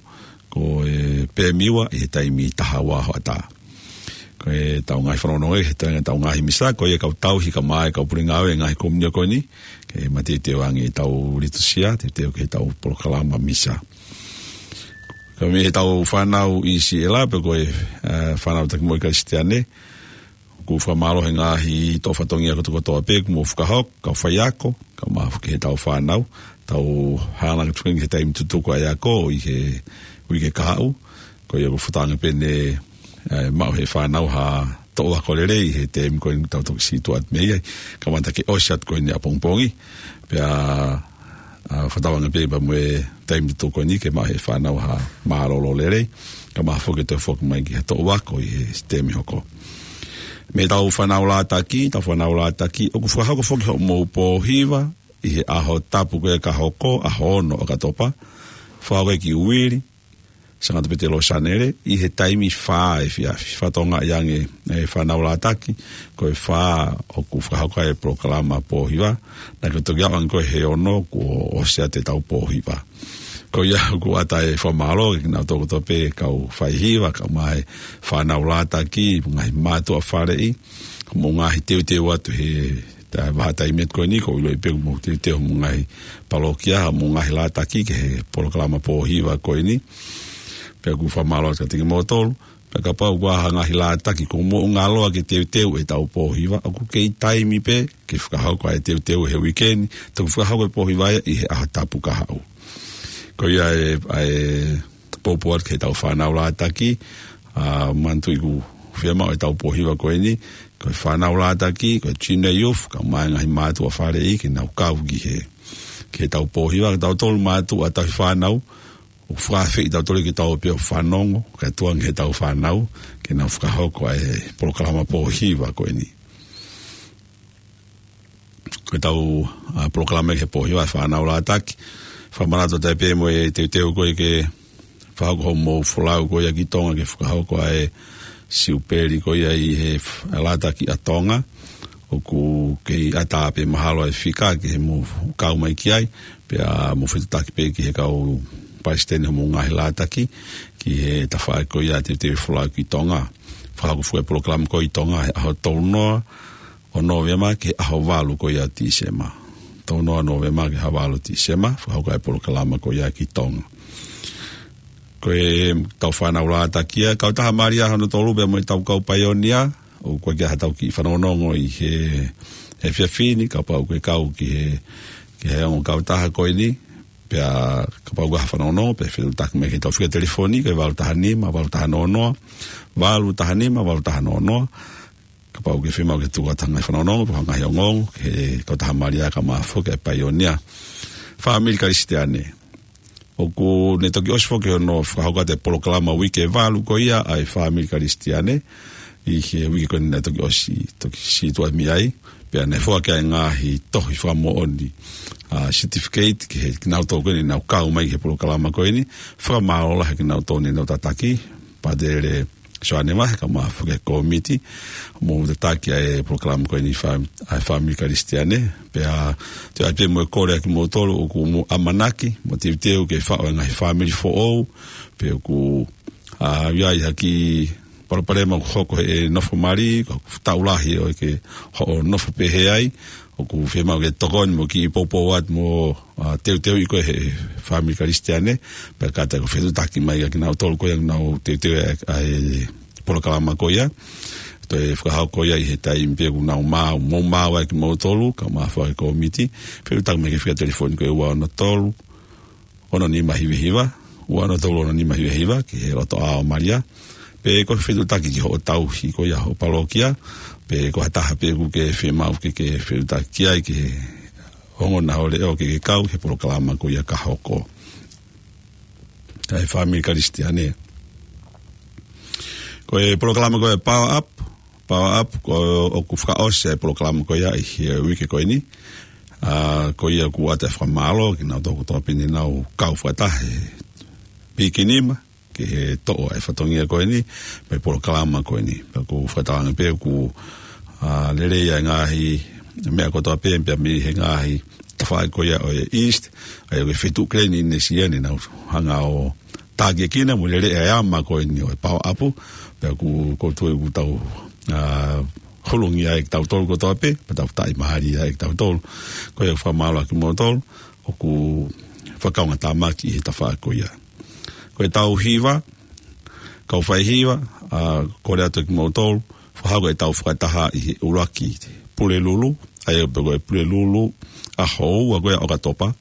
ko e Pemiwa ʻi he taimi taha ua hoʻatā. Ko e tau ngaahi fanongonongo he toenga e tau ngaahi misa, ko ia kau tauhi kae ʻumaʻā e kau pule ngāue e ngaahi komiunitī ko eni, ke mateuteu ange e tau litusia, teuteu ki he tau polokalama misa. Kae ʻumaʻā e tau fānau ʻi Siela, pea ko e, eh, fānau taki moʻui Kalisitiane, ʻoku ou fakamālō he ngaahi toʻo fatongia kotokotoa pē kuo mou fakahoko, kau faiako, kae ʻumaʻā foki e tau fānau, tau hanga atu ki he taimi tutuku ʻa e ako ʻi he uike kahaʻu, ko ia ʻoku ou fakatauange pē ne, eh, maʻu ʻe he fānau ha toʻu ako lelei he taimi ko eni ʻoku tau toki sītuʻa atu mei ai, kamata ke ʻosi atu ko eni ʻapongipongi, pea, ʻa, fakatauange pē pea mo e taimi tutuku ko eni ke maʻu ʻe he fānau ha mālōlō lelei, kae ʻumaʻā foki e toe foki mai ki ha toʻu ako ʻi he taimi hoko. Mei he tau fānau lātaki, tau fānau lātaki, ʻoku fakahoko foki hoʻomou pōhiva ʻi he ʻaho Tapu ko ia ka hoko, ʻaho ono ʻOkatopa, fakahoko ia ki Uili, Sangata Petelō Sanele, ʻi he taimi fā efiafi. Fakatokangaʻi ange e fānau lātaki, ko e fā ʻoku fakahoko ai e polokalama pōhiva, naʻa ke toki aʻu ange ko ē he ono kuo ʻosi atu e tau pōhiva. Ko ia ʻoku ʻatā e fakamālō kiate kinautolu kotoa pē kau faihiva, kae ʻumaʻā e fānau lātaki, ngaahi mātuʻa faleʻi, mo e ngaahi teuteu atu he ta-, vahaʻa taimi atu ko eni, ʻoku ou ʻiloʻi pē ʻoku mou teuteu mo e ngaahi palōkia, mo e ngaahi lātaki ki he polokalama pōhiva ko eni. Pea ʻoku ou fakamālō atu kiate kimoutolu, pea kapau ʻoku ʻi ai ha ngaahi lātaki ʻoku mou ngaloa ke teuteu e tau pōhiva, ʻoku kei taimi pē ke fakahoko ʻa e teuteu he uike ni, toki fakahoko e pōhiva ia ʻi he ʻaho Tapu kahaʻu. Ko ia e, ʻa e poupou atu ki he tau fānau lātaki, ʻa, manatuʻi ʻoku fiemaʻu e tau pōhiva ko eni, ko e fānau lātaki, ko e junior youth, kae ʻumaʻā e ngaahi mātuʻa faleʻi ke nau kau ki he, ki he tau pōhiva, kitautolu mātuʻa tauhi fānau, ʻoku fakaafeʻi kitautolu ke tau ō pē ʻo fanongo, kae tuku ange ki he tau fānau, ke nau fakahoko ʻa e polokalama pōhiva ko eni. Ko e tau, ʻa, polokalama ki he pōhiva ʻa e fānau lātaki. Fakamanatu atu pē mo e teuteu ko ē ke fakahoko hoʻomou folau ko ia ki Tonga ke fakahoko ʻa e siupeli ko ia ʻi he f-, lātaki ʻa Tonga. ʻOku kei ʻatā pē mahalo e fika ke mou kau mai ki ai, pea mou fetuʻutaki pē ki he kau palesiteni hoʻomou ngaahi lātaki, ki he tafaʻaki ko ia teuteu folau ki Tonga. fakahoko e foʻi polokalama ko ia ʻi Tonga he ʻaho tolu noa ʻo Nōvema ki he ʻaho valu ko ia ʻo Tīsema. Tolu noa ʻo Nōvema ki he ʻaho valu ʻo Tīsema, fakahoko e polokalama ko ia ki Tonga. Ko ʻetau fānau lātaki ia, kautaha Malia hono tolu pea mo ʻetau kau paionia, ʻoku ʻikai ke ʻi ai haʻatau kiʻi fanongonongo ʻi he, he efiafi ni, kapau ʻoku ke kau ki he, ki he ongo kautaha ko eni, pea kapau ʻoku ʻi ai ha fanongonongo, pea fetuʻutaki mai ki heʻetau fika telefoni, ko e valu taha nima, valu taha noa noa, valu taha nima, valu taha noa noa, kapau ʻoku ke fiemaʻu ke tuku atu ha ngaahi fanongonongo, pe ha ngaahi ongoongo, ki he kautaha Malia kae ʻumaʻā foki e paionia. Fāmili Kalisitiane. ʻOku ne toki ʻosi foki hono fakahoko atu e polokalama uike valu ko ia ʻa e Fāmili Kalisitiane. ʻI he uike ko eni naʻe toki ʻosi, toki situʻa mei ai. Pea naʻe foaki ai e ngaahi tohi fakamoʻoni, ʻa, certificate ki he kinautolu ko eni naʻa nau kau mai ki he polokalama ko eni. Fakamālō lahi kinautolu ne nau tataki. Pātele Soane Vahe kae ʻumaʻā foki e kōmiti mo tataki ʻa e polokalama ko eni fā-, ʻa e Fāmili Kalisitiane. Pea toe ʻai pē mo e kole ʻa kimoutolu ʻoku mou ʻamanaki mo teuteu ke faʻu e ngaahi fāmili foʻou, pe ʻoku, ʻa, ʻi ai ha kiʻi palopalema ʻoku hoko he nofo mali, ʻoku taʻu lahi ʻoku ke hoʻo nofo pehē ai, ʻoku fiemaʻu ke tokoni mo kiʻi poupou atu mo, ʻa, teuteuʻi koe he Fāmili Kalisitiane, pea kātaki ʻo fetuʻutaki mai kia kinautolu ko ia ʻoku nau teuteu ʻa e, ʻa e polokalama ko ia. Toe fakahoko ia ʻi he taimi pē ʻoku nau maʻu, mou maʻu ai kimoutolu, kae ʻumaʻā foki e kōmiti, fetuʻutaki mai ki he fika telefoni ko e ua ono tolu, ono nima hiva hiva, ua ono tolu ono nima hiva hiva, ki he lotoʻā ʻo Malia, pe ko e fetuʻutaki ki hoʻo tauhi ko ia hoʻo palokia, pe ko ha taha pē ʻoku ke fiemaʻu ke ke fetuʻutaki ki ai ki he ongona ʻo e leʻo ke ke kau ki he polokalama ko ia ka hoko. ʻA e Fāmili Kalisitiane. Ko e polokalama ko e Power Up, Power Up, ko ʻoku fakaʻosi e polokalama ko ia ʻi he uike ko eni. ʻA, ko ia ʻoku ʻoatu e fakamālō kia kinautolu kotoa pē ne nau kau fakataha he pīkinima, ki he toʻo e fatongia ko eni, mo e polokalama ko eni. Pea ʻoku fakatauange pē ʻoku, ʻa, lelei ʻa e ngaahi meʻa kotoa pē, pea mei he ngaahi tafaʻaki ko ia ʻo e East, ʻa ia ko e feituʻu Melanesia ne nau hanga ʻo tākiekina mo lele e ʻama ko eni ʻo e Power Up, pea ʻoku, ʻoku ou tui ʻoku tau, ʻa, hulungia ai kitautolu kotoa pē, pea tau taʻimālie ai kitautolu. Ko ia ʻoku fakamālō atu kimoutolu, ʻoku fakakaungātāmaki ʻi he tafaʻaki ko ia. Ko ʻetau hiva, kau faihiva, ʻa, kole atu kia kimoutolu, fakahoko ʻetau fakataha ʻi he ʻuluaki Pulelulu, ʻa ia pē ko e Pulelulu ʻaho ua ko ia ʻo ʻOkatopa,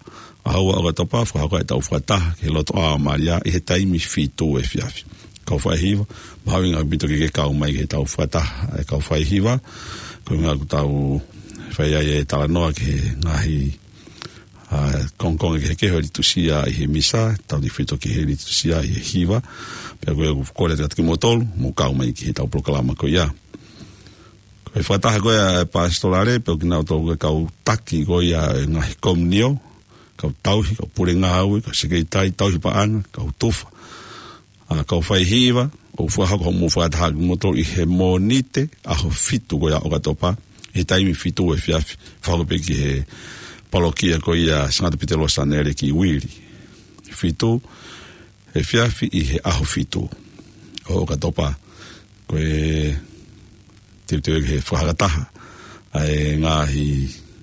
ʻaho ua ʻo ʻOkatopa, fakahoko ʻetau fakataha ki he lotoʻā ʻo Malia ʻi he taimi fitu efiafi. Kau faihiva, mahuʻinga ʻaupito ke ke kau mai ki heʻetau fakataha, ʻa e kau faihiva, ko e ʻuhinga ʻoku tau fai ai e talanoa ki he ngaahi ʻa, kongokonga kehekehe ʻo e litūsia ʻi he misa, tau ni fito ki he litūsia ʻi he hiva, pea ko ia ʻoku kole atu kia kimoutolu, mou kau mai ki heʻetau polokalama ko ia. Ko e fakataha ko ia ʻa e Pasitolale, pea ko kinautolu ko e kau taki ko ia ʻo e ngaahi komiunio, kau tauhi, kau pule ngāue, kau sekelitali, tauhi paʻanga, kau tufa. ʻA, kau faihiva, ʻoku fakahoko hoʻomou fakataha ʻa kimoutolu ʻi he Mōnite, ʻaho fitu ko ia ʻo ʻOkatopa, ʻi he taimi fitu efiafi, fakahoko pē ki he palokia ko ia Sangata Pita Losanele ki Uili. Fitu efiafi ʻi he ʻaho fitu ʻo ʻOkatopa, ko e teuteu ki he fakataha ʻa e ngaahi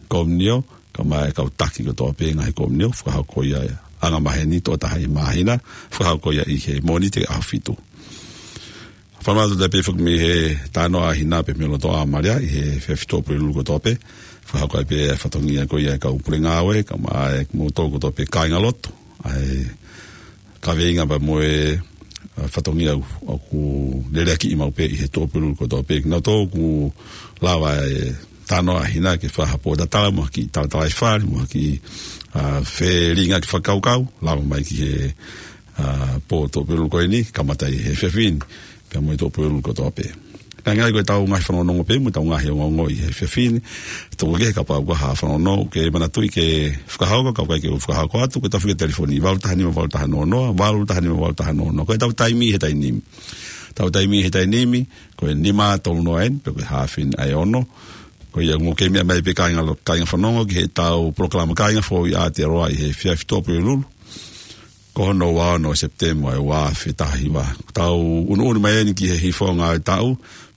komiunio, kae ʻumaʻā e kau taki kotoa pē ngaahi komiunio, fakahoko ia ʻi he anga maheni, toko taha ʻi he māhina, fakahoko ia ʻi he Mōnite ʻaho fitu. Fakamālō atu pē foki mei he Talanoa ʻa Hina pea mei lotoʻā ʻo Malia ʻi he efiafi Tuʻapulelulu kotoa pē, fakahoko ai pē e fatongia ko ia e kau pule ngāue, kae ʻumaʻā e kimoutolu kotoa pē kāingalotu, ʻa e kaveinga pea mo e, ʻa, fatongia ʻoku leleakiʻi maʻu pē ʻi he Tuʻapulelulu kotoa pē. Naʻa tau ʻoku lava e Talanoa ʻa Hina ke fai ha pōtatala mo ha kiʻi talatalaifale, mo ha kiʻi, ʻa, felīngaʻaki fakakaukau, lava mai ki he, ʻa, pō Tuʻapulelulu ko eni, kamata ʻi he efiafi ni, pea mo e Tuʻapulelulu kotoa pē. Hangē ko ʻetau ngaahi fanongonongo pē, mo ʻetau ngaahi ongoongo ʻi he efiafi ni. Toko ke kapau ʻoku ʻi ai ha fanongonongo, ke manatuʻi ke fakahoko, kapau ʻoku ʻikai ke u fakahoko atu, ko ʻetau fika telefoni, valu taha nima, valu taha noa noa, valu taha nima, valu taha noa noa. Ko ʻetau taimi he taimi ni. ʻEtau taimi he taimi ni, ko e nima tolu noa eni, pe ko e haafe eni ʻa e ono. Ko ia ʻoku mou kei meʻa mai pē kāinga lo-, kāinga fanongo, ki heʻetau polokalama Kāinga Foʻou ʻi Aotearoa ʻi he efiafi Tuʻapulelulu. ko hono ua ono ʻo Sepitema ʻo e ua afe taha hiva. Tau ʻunuʻunu mai eni ki he hifo ngāue taʻu,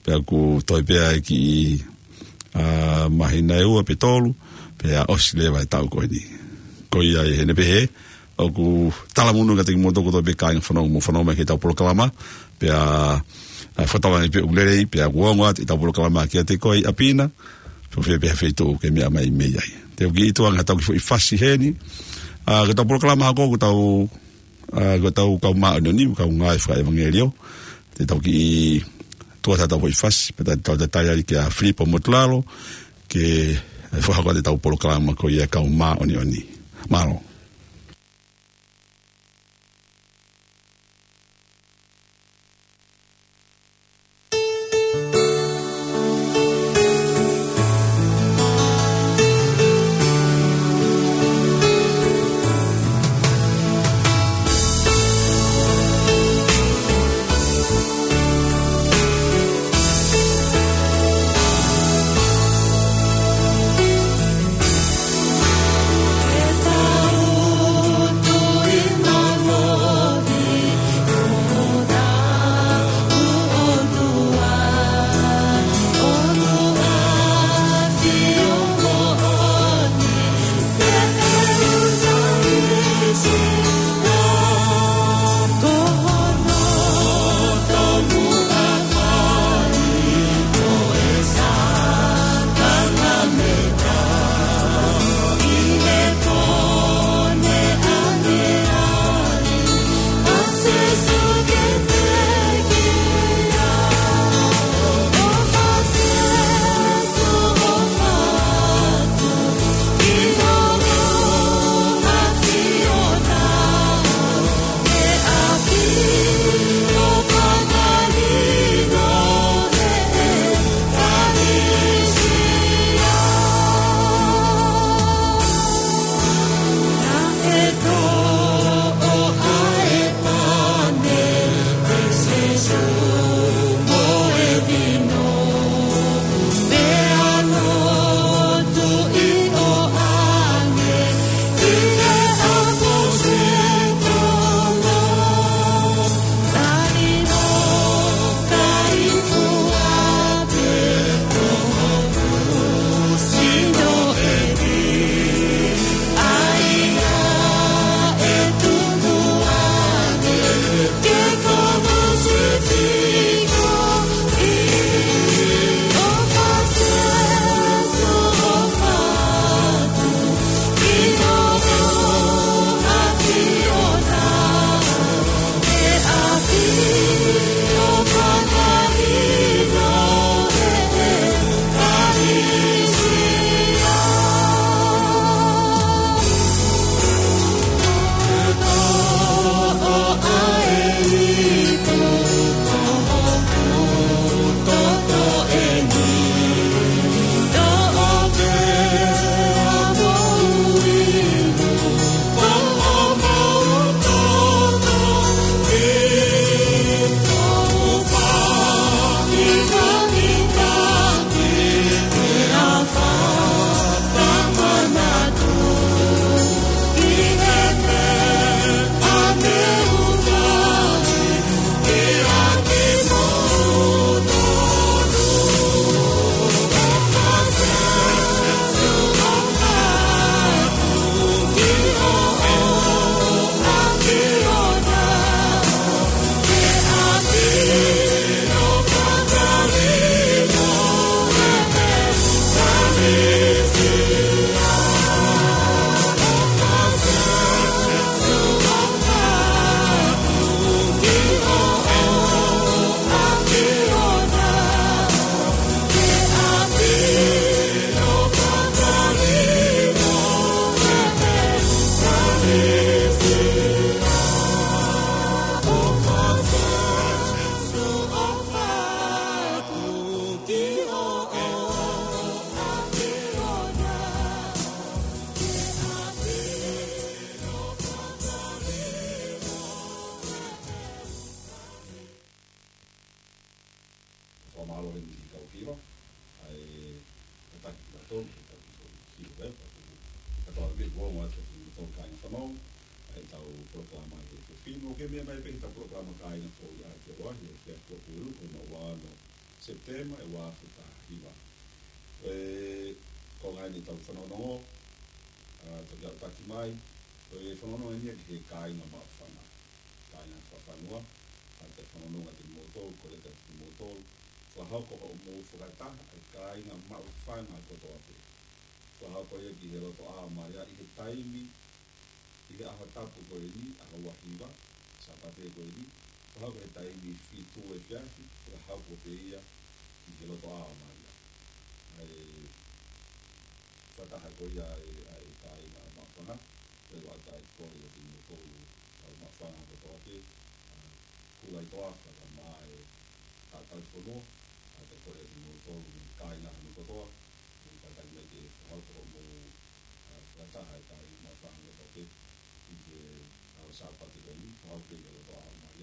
pea ʻoku toe pē ʻa e kiʻi, ā, māhina ʻe ua pe tolu, pea ʻosi leva e taʻu ko eni. Ko ia ʻi heʻene pehē, ʻoku talamonū kiate kimoutolu kotoa pē kāinga fanongo mo fanongo mai ki heʻetau polokalama, pea, ā, fakatauange pē ʻoku lelei, pea ʻoku ongo atu ʻetau polokalama kiate koe ʻi ʻapi na, pe ko fē pē ha feituʻu ʻoku ke meʻa mai mei ai. Te u kiʻi tuku ange haʻatau kiʻi foʻi fasi heni, ā, ko ʻetau polokalama hoko ʻoku tau, ā, ko ʻetau kau māʻoniʻoni, kau ngāue fakaʻevangeliō, te tau kiʻi tuku atu haʻatau foʻi fasi, pea tau tatali ai kia Filipo Motulalo, ke, ā, fakahoko atu ʻetau polokalama ko ia kau māʻoniʻoni. Mālō. Fakamālō eni ki he kau hiva, ʻa e tataki kitautolu, tataki kitautolu ki he web, ʻa e kau hiva, ʻoku ongo atu ki he kau kāinga fanongo, ʻa ʻetau polokalama he efiafi ni, ʻoku meʻa mai pē ki heʻetau polokalama kāinga ko ia ʻa e Afiafi Tuʻapulelulu, ko hono ua ono Sepitema ʻe ua afe taha hiva. ʻE, ko e ngaahi ʻetau fanongonongo, ʻa, toki aʻutaki mai, ko e fanongonongo ni ki he kāinga maʻu fanga. Kāinga fakafanua, ʻa, ʻetau fanongonongo kiate kimoutolu, kole kiate kimoutolu, fakahoko hoʻomou fakataha ʻa e kāinga maʻu fanga kotoa pē. Fakahoko ia ki he loto ʻā mai ʻi he taimi, ʻi he ʻaho tapu ko eni, ʻaho ua hiva, Sāpate ko eni, fakahoko he taimi fitu efiafi, fakahoko pē ia ki he loto ʻā mai. ʻA e fakataha ko ia ʻa e, ʻa e kāinga maʻu fanga, pea ʻoku ʻatā e kole kiate kimoutolu, kau maʻu fanga kotoa pē, ʻa, kula ʻi toafa ka mai ʻa e tauhi fonua, ʻa, ʻatā e kole kiate kimoutolu, kāinga hono kotoa, ʻoku kātaki mai ke fakahoko hoʻomou, ʻa, fakataha ʻa e kāinga maʻu fanga kotoa pē, ʻi he ʻaho Sāpate ko eni, fakahoko pē ki he loto ʻā mai,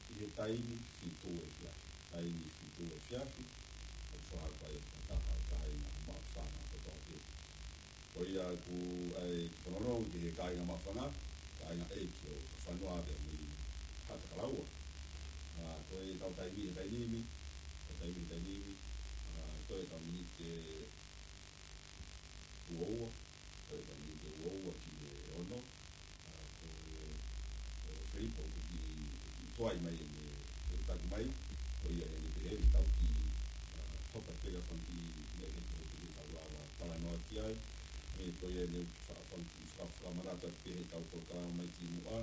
ʻi he taimi fitu efiafi, taimi fitu efiafi, ʻoku fakahoko ai e fakataha ʻa e kāinga maʻu fanga kotoa pē. Ko ia ʻoku ʻai ke fanongonongo ki he kāinga maʻu fanga, kāinga ʻeiki ʻo e fonua pea mei Haʻatakalaua. ʻA, ko ʻetau taimi he taimi ni, ʻetau taimi he taimi ni, ʻa, ko e ʻetau miniti ʻe ua ua, ko e ʻetau miniti ʻe ua ua ki he ono, ʻa, ko e, ʻe Filipo ʻoku kiʻi, kiʻi tuai mai ʻene, ʻene taki mai, ko ia ʻene pehē ni tau kiʻi, ʻa, hopa pē ka fanga kiʻi meʻa ke tau kiʻi tau lava talanoa ki ai, ʻe ko ia ʻene fa-, fanga kiʻi fa-, fakamanatu pē heʻetau polokalama mai ki muʻa,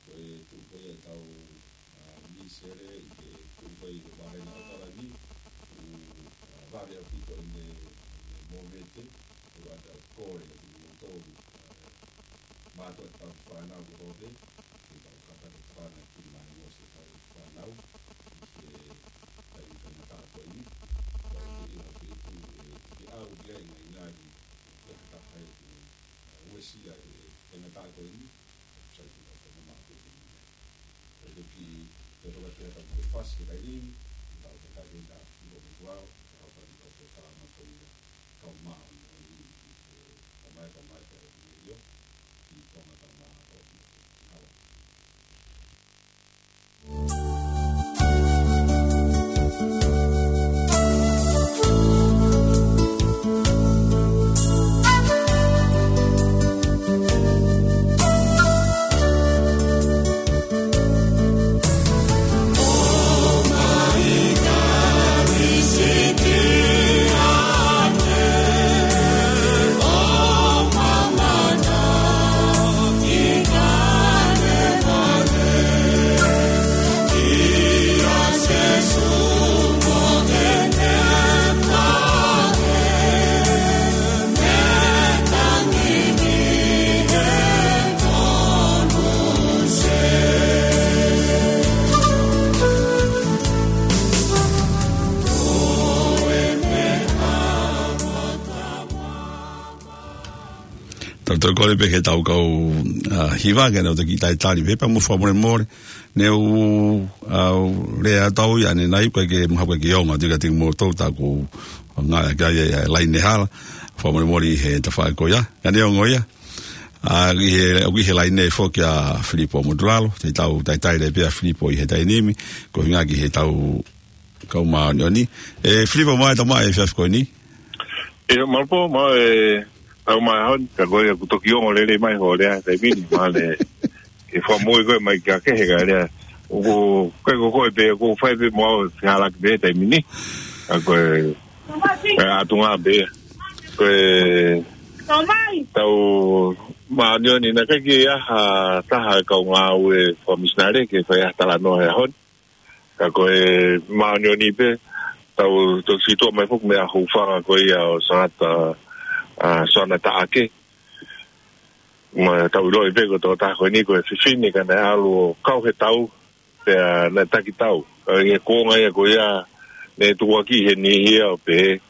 ko e tuʻu ko ia ʻetau, ʻa, misele ʻi he tuʻu ko ia ʻi he vahine ʻAokalani, ʻoku, ʻa, vave ʻaupito ʻene, ʻene mōmete, ʻoku ʻatā e kole kiate kimoutolu, ʻa, mātuʻa tau fānau kotoa pē, ke tau kātaki fānau ki mai mo se tau fānau, ʻi he taimi faingataʻa ko eni, tau kiʻi ʻi ha feituʻu ʻe, ʻe ʻalu ki ai e ngaahi ngaahi, ʻe ha taha ʻe, ʻe uesia e, e faingataʻa ko eni, sai ki tau faingataʻa ko eni. Ko e kiʻi, ko e toka ki he tau ke fasi ke kai lini, tau ke kai lini ka, ʻi ko me tuau, tau kai lini tau ke kalama ko ia, kau mā, ʻo ni, ʻi he, kau mai, kau mai, kau mai, ʻio, ʻi Tonga kau mā, ʻo ni, ʻi Hawaii. Tau toe kole pē ke tau kau, ʻa, hiva ke nau toki talitali pē pea mo fakamolemole. Ne u, ʻa, u lea atu au ia ʻanenai ko e ke maha ko e ke onga tika tiki mo tou taku ngā kia ia, ia laine hala. Fakamolemole he tafaʻaki ko ia. Ka neongo ia. ʻA, ʻi he, ʻoku ʻi he laine foki ʻa Filipo Motulalo. Te tau talitali pē ʻa Filipo ʻi he taimi ni. Ko hinga ki he tau kau māʻoniʻoni. ʻE Filipo, mālō e tau maʻu e efiafi ko eni. ʻIo, mālō pō, mālō e tau maʻu e ʻaho ni, ka ko ia ʻoku toki ongo lelei mai hoʻo lea he taimi ni, mālō e fakamoʻui ko e mai kia ke he ka lea. ʻOku, ko e ko koe pē, ʻoku fai pē mo au, fehālaaki pē he taimi ni. Ka ko e, ko e ʻatunga pē. Ko e tau māʻoniʻoni naʻe ʻikai ke ʻi ai ha taha e kau ngāue fakamisinale ke fai ha talanoa he ʻaho ni. Ka ko e māʻoniʻoni pē, tau toki situʻa mai foki mei he hūfanga ko ia ʻo Sangata, ʻa, Soana Taʻake. Ma tau ʻiloʻi pē ko e tokotaha ko eni ko e fefine ka naʻe ʻalu ʻo kau he tau, pea naʻe taki tau. Ka ʻi he kuonga ia ko ia, naʻe tukuakiʻi ʻe he niʻihi ia ʻo pehē,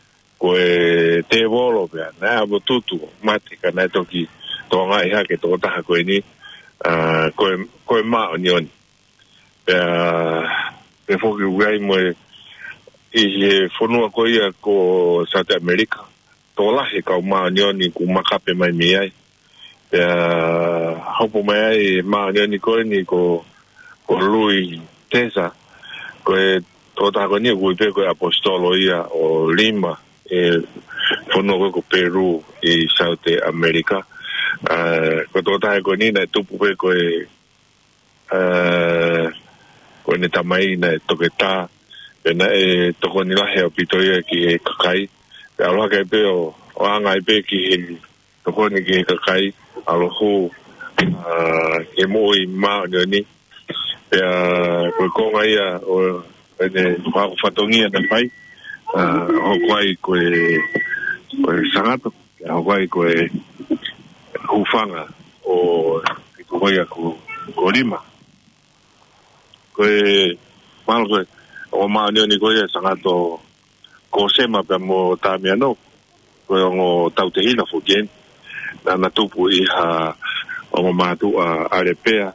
ko e tēvolo pea, naʻe ʻalu ʻo tutu, mate, ka naʻe toki tokangaʻi hake e tokotaha ko eni, ʻa, ko e, ko e māʻoniʻoni. Pea, pea foki ʻoku ʻi ai mo e, ʻi he fonua ko ia ko South America, tokolahi e kau māʻoniʻoni ʻoku makape mai mei ai. Pea, hopo mai ai e māʻoniʻoni ko eni ko, ko Lui Tesa, ko e tokotaha ko eni ʻoku ui pē ko e ʻaposetolo ia ʻo lima ʻi he fonua ko ē ko Peru ʻi Saute ʻAmelika. ʻA, ko e tokotaha ko eni naʻe tupu pē ko e, ʻa, ko ʻene tamai naʻe toketā, pea naʻe tokoni lahi ʻaupito ia ki he kakai. Pea ʻalu hake ai pē ʻo, ʻo anga ai pē ki he tokoni ki he kakai, ʻalu ʻo hū, ʻa, ki he moʻui māʻoniʻoni. Pea ko e konga ia ʻo ʻene fatongia naʻe fai, ʻa, hoko ai ko e, ko e Sangato, pea hoko ai ko e hūfanga ʻo e, ko ia ko, ko lima. Ko e, mahalo ko e, ʻo māʻoniʻoni ko ia Sangato ko Sema pea mo Tamiano, ko e ongo tautehina foki eni. Naʻa na tupu ʻi ha ongo mātuʻa ʻAlepea,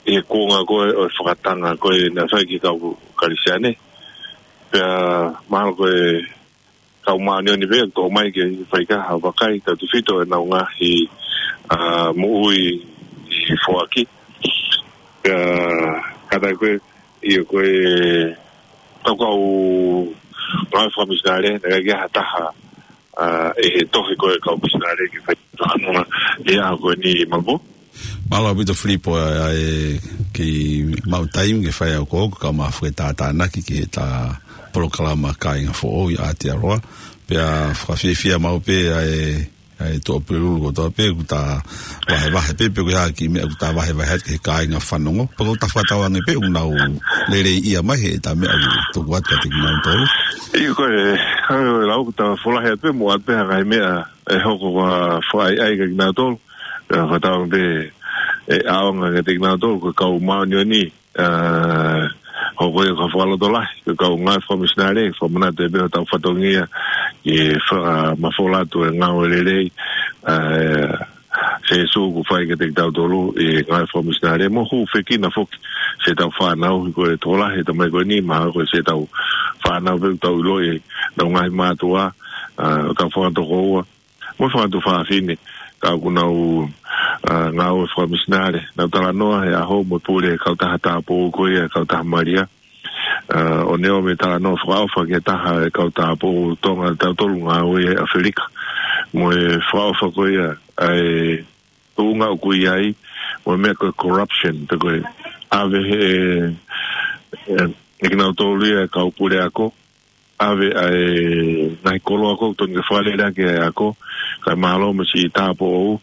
ʻi he kuonga ko ē ʻo e fakatanga ko ē naʻe fai ki he kau Kalisiane. Pea mahalo ko e kau māʻoniʻoni pē ʻoku toʻo mai ke fai ki ai ha vakai, tautefito ʻenau ngaahi, ʻa, moʻui ʻi he foaki. Pea kātaki ko ē, ʻio ko e tau kau ngāue fakamisinale, naʻe ʻikai ke ʻi ai ha taha, ʻa, ʻi he tohi ko ē kau misinale ke fai talanoa ʻi he ʻaho ko eni Malvo. Mālō ʻaupito Filipo, ʻa, ʻa e kei maʻu taimi ke fai ʻa e ʻoku ou ka ma fue tātānaki ki heʻeta polokalama Kāinga Foʻou ʻi Aotearoa. Pea fakafiefia maʻu pē ʻa e, ʻa e tuʻapulelulu kotoa pē, ʻoku ta vahevahe pē, pe ko e hā e kiʻi meʻa ʻoku ta vahevahe atu ki he kāinga fanongo. Pea ʻoku ta fakatauange pē ʻoku nau lelei ia mai heʻeta meʻa ʻoku tuku atu kiate kinautolu. ʻIo ko e, ʻa e lau ʻoku ta folahi atu pē mo ʻoatu pē ha ngaahi meʻa ʻe hoko ʻo fakaʻaiʻai kiate kinautolu. Pea fakatauange pē ʻe ʻaonga kiate kinautolu, ko e kau māʻoniʻoni, ʻa, hoko ia ko ha fakalotolahi, ko e kau ngāue fakamisinale, fakamanatu pē hotau fatongia, ʻi he fa-, ʻa, mafola atu e ngāue lelei, ʻa, ʻa Sīsū kuo fai kiate kitautolu ʻi he ngāue fakamisinale, mo hūfekina foki siʻetau fānau, he ko e tokolahi ʻetau tamai ko eni, mahalo ko siʻetau fānau pē ʻoku tau ʻiloʻi ʻenau ngaahi mātuʻa, ʻa, ʻo tau fakatokoua, mo e fanga tuofāfine, ka ʻoku nau, ʻa, ngāue fakamisinale. Naʻa ku talanoa he ʻaho mo e pule kautaha tāupoʻou ko ia, kautaha Malia. ʻA, ʻo ne ʻomai e talanoa fakaʻofa ki he taha e kau tāupoʻou Tonga, tautolu ngāue ʻi ʻAfilika. Mo e fakaʻofa ko ia, ʻa e tuʻunga ʻoku ʻi ai, mo e meʻa ko e corruption, pe ko e ʻave he, ʻe, ʻe kinautolu ia e kau puleako, ʻave ʻa e ngaahi koloa ko ē ʻoku totonu ke fakalele ʻaki ʻa e ako, kae mālō mo siʻi tāupoʻou,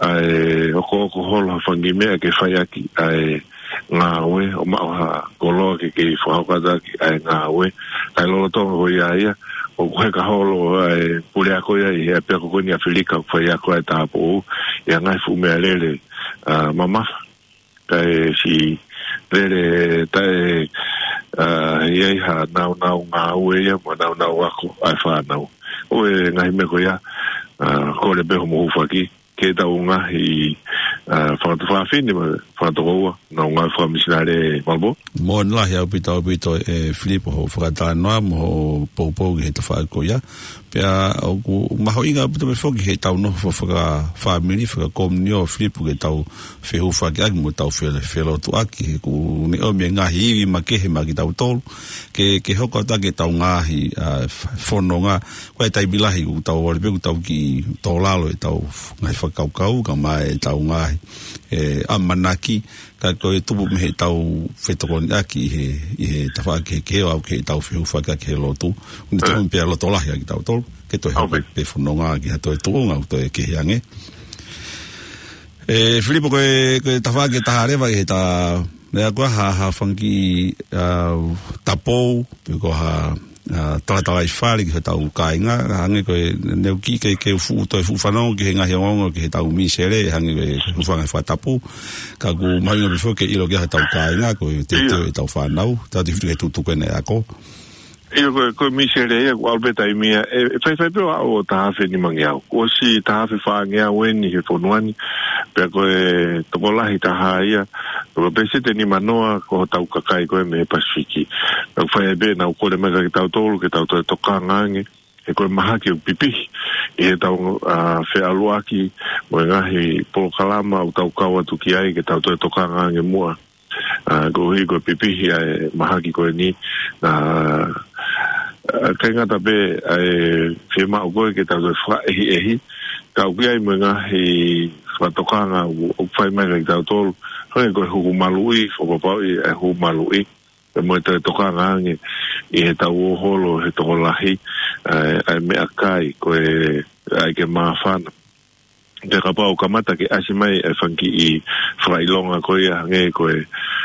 ʻa e ʻokoʻoko holo ha fanga kiʻi meʻa ke fai ʻaki ʻa e ngāue, ʻo maʻu ha koloa ke kei fakahoko atu ʻaki ʻa e ngāue. Kae lolotonga ko ia ia, ʻoku heka holo ʻa e puleako ia ʻi he ʻapiako ko eni ʻAfilika ʻoku fai ako ai e tāupoʻou, ʻi ha ngaahi fuʻu meʻalele, ʻa, mamafa. Kae siʻi lele taʻe, ʻa, ʻi ai ha naunau ngāue ia, mo e naunau ako ʻa e fānau. ʻO e ngaahi meʻa ko ia, ʻa, kole pē hoʻomo hūfaki, ke tau ngaahi, ʻa, fanga tuofāfine, mo e fanga tokoua, ʻenau ngāue fakamisinale Malvo. Moʻoni lahi ʻaupito, ʻaupito ʻe Filipo hoʻo fakatalanoa mo hoʻo poupou ki he tafaʻaki ko ia. Pea ʻoku mahuʻinga ʻaupito pē foki heʻetau nofo fakafāmili, fakakomiunitī Filipo ke tau fehūfakiʻaki mo tau fe-, felotuʻaki, he ʻoku ne ʻomi e ngaahi ivi makehe maʻa kitautolu, ke, ke hoko atu ʻaki ʻetau ngaahi, ʻa, f-, fononga. Ko e taimi lahi ʻoku tau ʻalu pē ʻoku tau kiʻi tō lalo ʻetau ngaahi fakakaukau, kae ʻumaʻā ʻetau ngaahi, ʻe, ʻamanaki, ka ko e tupu mei heʻetau fetokoniʻaki ʻi he, ʻi he tafaʻaki kehekehe ʻo aʻu ki heʻetau fehūfakiʻaki he lotu. ʻOku ne tau pea loto lahi ʻa kitautolu, ke toe hoko pē fononga ki ha toe tuʻunga, ʻo toe kehe ange. ʻE, Filipo, ko e, ko e tafaʻaki ʻe taha leva ʻi heʻeta, meʻa ko ē ha, ha fanga kiʻi, ʻa, tapou, pe ko ha, ʻa, talatalaifale ki hotau kāinga, hangē ko e, ne u kiʻi ke, ke u fuʻu, toe fuʻu fanongo ki he ngaahi ongoongo ki heʻetau misele, hangē ko e, hūfanga he fakatapu, ka ʻoku mahuʻinga pē foki ke ʻilo ki ai hotau kāinga, ko e teuteu ʻetau fānau, tautefito ki he tuʻutuʻuni ʻa e ako. ʻIo ko e, ko e misele ia, ʻoku ʻalu pē taimi ia, ʻe, ʻe faifai pē ʻo aʻu ʻo taha afe nimangeau. Kuo ʻosi taha afe fāngeau eni he fonua ni, pea ko e tokolahi taha ia, ko e peseti ʻe nimanoa ko hotau kakai ko ē mei he Pasifiki. Naʻa ku fai ai pē, naʻa ku kole mai kiate kitautolu, ke tau toe tokanga ange, he ko e mahaki ʻoku pipihi ʻi heʻetau, ʻa, feʻaluʻaki mo e ngaahi polokalama ʻoku tau kau atu ki ai ke tau toe tokanga ange muʻa. ʻA, koeʻuhi ko e pipihi ʻa e mahaki ko eni, ʻa, ʻa, ʻikai ngata pē ʻa e fiemaʻu ko ē ke tau toe fakaʻehiʻehi, ka ʻoku ʻi ai mo e ngaahi fakatokanga ʻoku, ʻoku fai mai kia kitautolu, hangē ko e huku maluʻi, fakapapauʻi ʻa e huku maluʻi, pea mo e toe tokanga ange ʻi heʻetau ō holo he tokolahi, ʻa e, ʻa e meʻakai, ko e ʻai ke māfana. Pea kapau ʻoku kamata ke ʻasi mai e fanga kiʻi fakaʻilonga ko ia hangē ko e,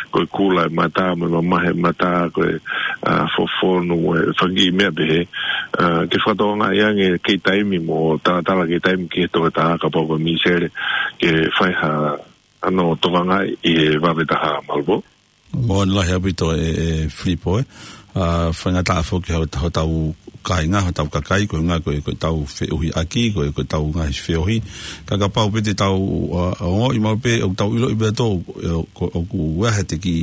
ko e kula e mata, mo e mamahi e mata, ko e, ʻa, fofonu, mo e fanga kiʻi meʻa pehē, ʻa, ke fakatokangaʻi ange kei taimi mo talatala kei taimi ki he toketā kapau ko e misele, ke fai ha, ʻa hono tokangaʻi ʻi he vave taha, Malvo. Moʻoni lahi ʻaupito ē, ē Filipo ē. ʻA, faingataʻa foki hotau, hotau kāinga, hotau kakai, ko e ʻuhinga ko e, ko ʻetau feʻohiʻaki, ko e, ko ʻetau ngaahi feohi. Ka kapau pē te tau, ʻa, ʻa, ongoʻi maʻu pē, ʻoku tau ʻiloʻi pē ʻa tō, ʻe, ko, ʻoku ʻi ai ha kiʻi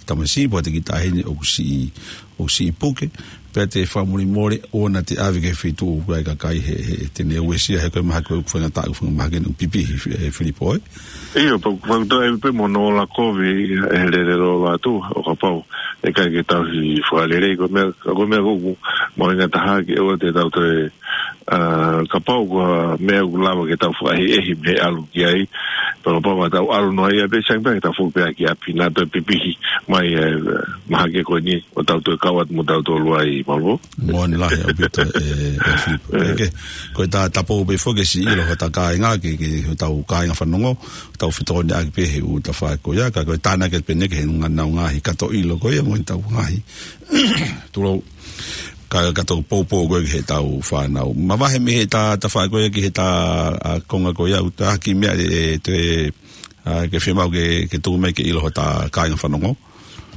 tamasiʻi, pe ha kiʻi taʻahine, ʻoku siʻi, ʻoku siʻi puke. Pea te fakamolemole ʻoua naʻa te ʻave ki he feituʻu ʻoku ʻi ai e kakai he, he, te ne uesia he ko e mahaki ʻoku faingataʻa, ʻoku faingamahaki ʻoku pipihi, ē, Filipo ē. ʻIo, pea, pea toe ʻai pē mo hono ola kovi, ʻe lele lolo atu, ʻo kapau ʻe ʻikai ke tau hi fakalelei, ko e meʻa, ko e meʻa ʻoku mahuʻinga taha ke ʻoua te tau toe, ʻa, kapau ko ha meʻa ʻoku lava ke tau fakaʻehiʻehi mei he ʻalu ki ai, pea kapau ʻe tau ʻalu noa ia pē, sai pē ke tau foki pē ki ʻapi naʻa toe pipihi mai, ē, mahaki ko eni, ʻo tau toe kau atu mo tautolu ai, Malvo. Moʻoni lahi ʻaupito ē, ē Filipo. ʻE. Ke, ko e ta, ta pō pē foki ke siʻi ʻilo hotau kāinga, ke, ke hotau kāinga fanongo, tau fetokoniʻaki pē he ʻū tafaʻaki ko ia, ka ko e tānaki pē eni ki he ngaahi, ngaahi kato ʻilo ko ia, mo ʻetau ngaahi. Tulou, ka, kato poupou ko ē ki heʻetau fānau. Mavahe mei he ta, tafaʻaki ko ia ki he ta, ʻa, konga ko ia, ʻoku ʻi ai ha kiʻi meʻa ʻe, ʻe, te, ʻa, ke fiemaʻu ke, ke tuku mai ke ʻilo hotau kāinga fanongo.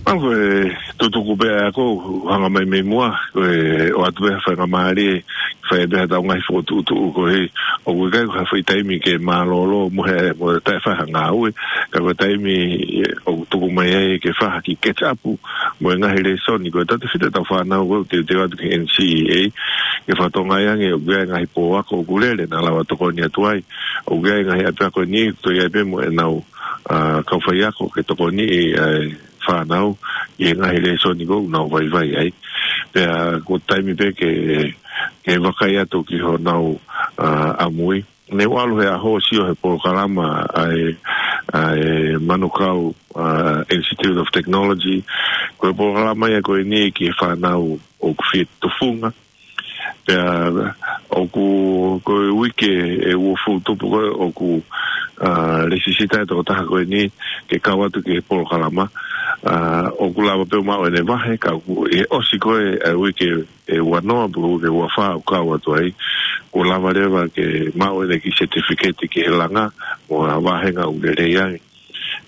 ʻA, ko e tutuku pē ʻa e ako, hanga mai mei muʻa, ko e ʻoatu pē ha faingamālie, fai pē haʻatau ngaahi fokotuʻutuʻu ko ē, ʻoku ʻikai ko ha foʻi taimi ke mālōlō mo e, mo e taʻe fai ha ngāue, ka ko e taimi ʻoku tuku mai ai ke fai ha kiʻi catch up, mo e ngaahi lēsoni, ko e tautefito ʻetau fānau ko ē, teuteu atu ki he N C E A, ke fakatokangaʻi ange, ʻoku ʻi ai e ngaahi pō ako ʻoku lele, naʻa lava tokoni atu ai, ʻoku ʻi ai e ngaahi ʻapiako ni, toe ʻi ai pē mo ʻenau, ʻa, kau faiako, ke tokoniʻi, ʻa e fānau, ʻi he ngaahi lēsoni ko ē ʻoku nau vaivai ai. Pea ko e taimi pē ke, ke vakai atu ki honau, ʻa, ʻamui. Ne u ʻalu he ʻaho ʻo sio he polokalama ʻa e, ʻa e Manukau, ʻa, Institute of Technology. Ko e polokalama ia ko eni ki he fānau ʻoku fie tufunga. Pea ʻoku, ko e uike ʻe uofulu tupu ko ē ʻoku, ʻa, lēsisita e tokotaha ko eni ke kau atu ki he polokalama. ʻA, ʻoku lava pē ʻo maʻu ʻene vahe, ka ʻoku, ʻi he ʻosi ko ē ʻa e uike ʻe uanoa, pe ko e uike ʻe uafā ʻoku kau atu ai, kuo lava leva ke maʻu ʻene kiʻi certificate ki he langa, mo ha vāhenga ʻoku lelei ange.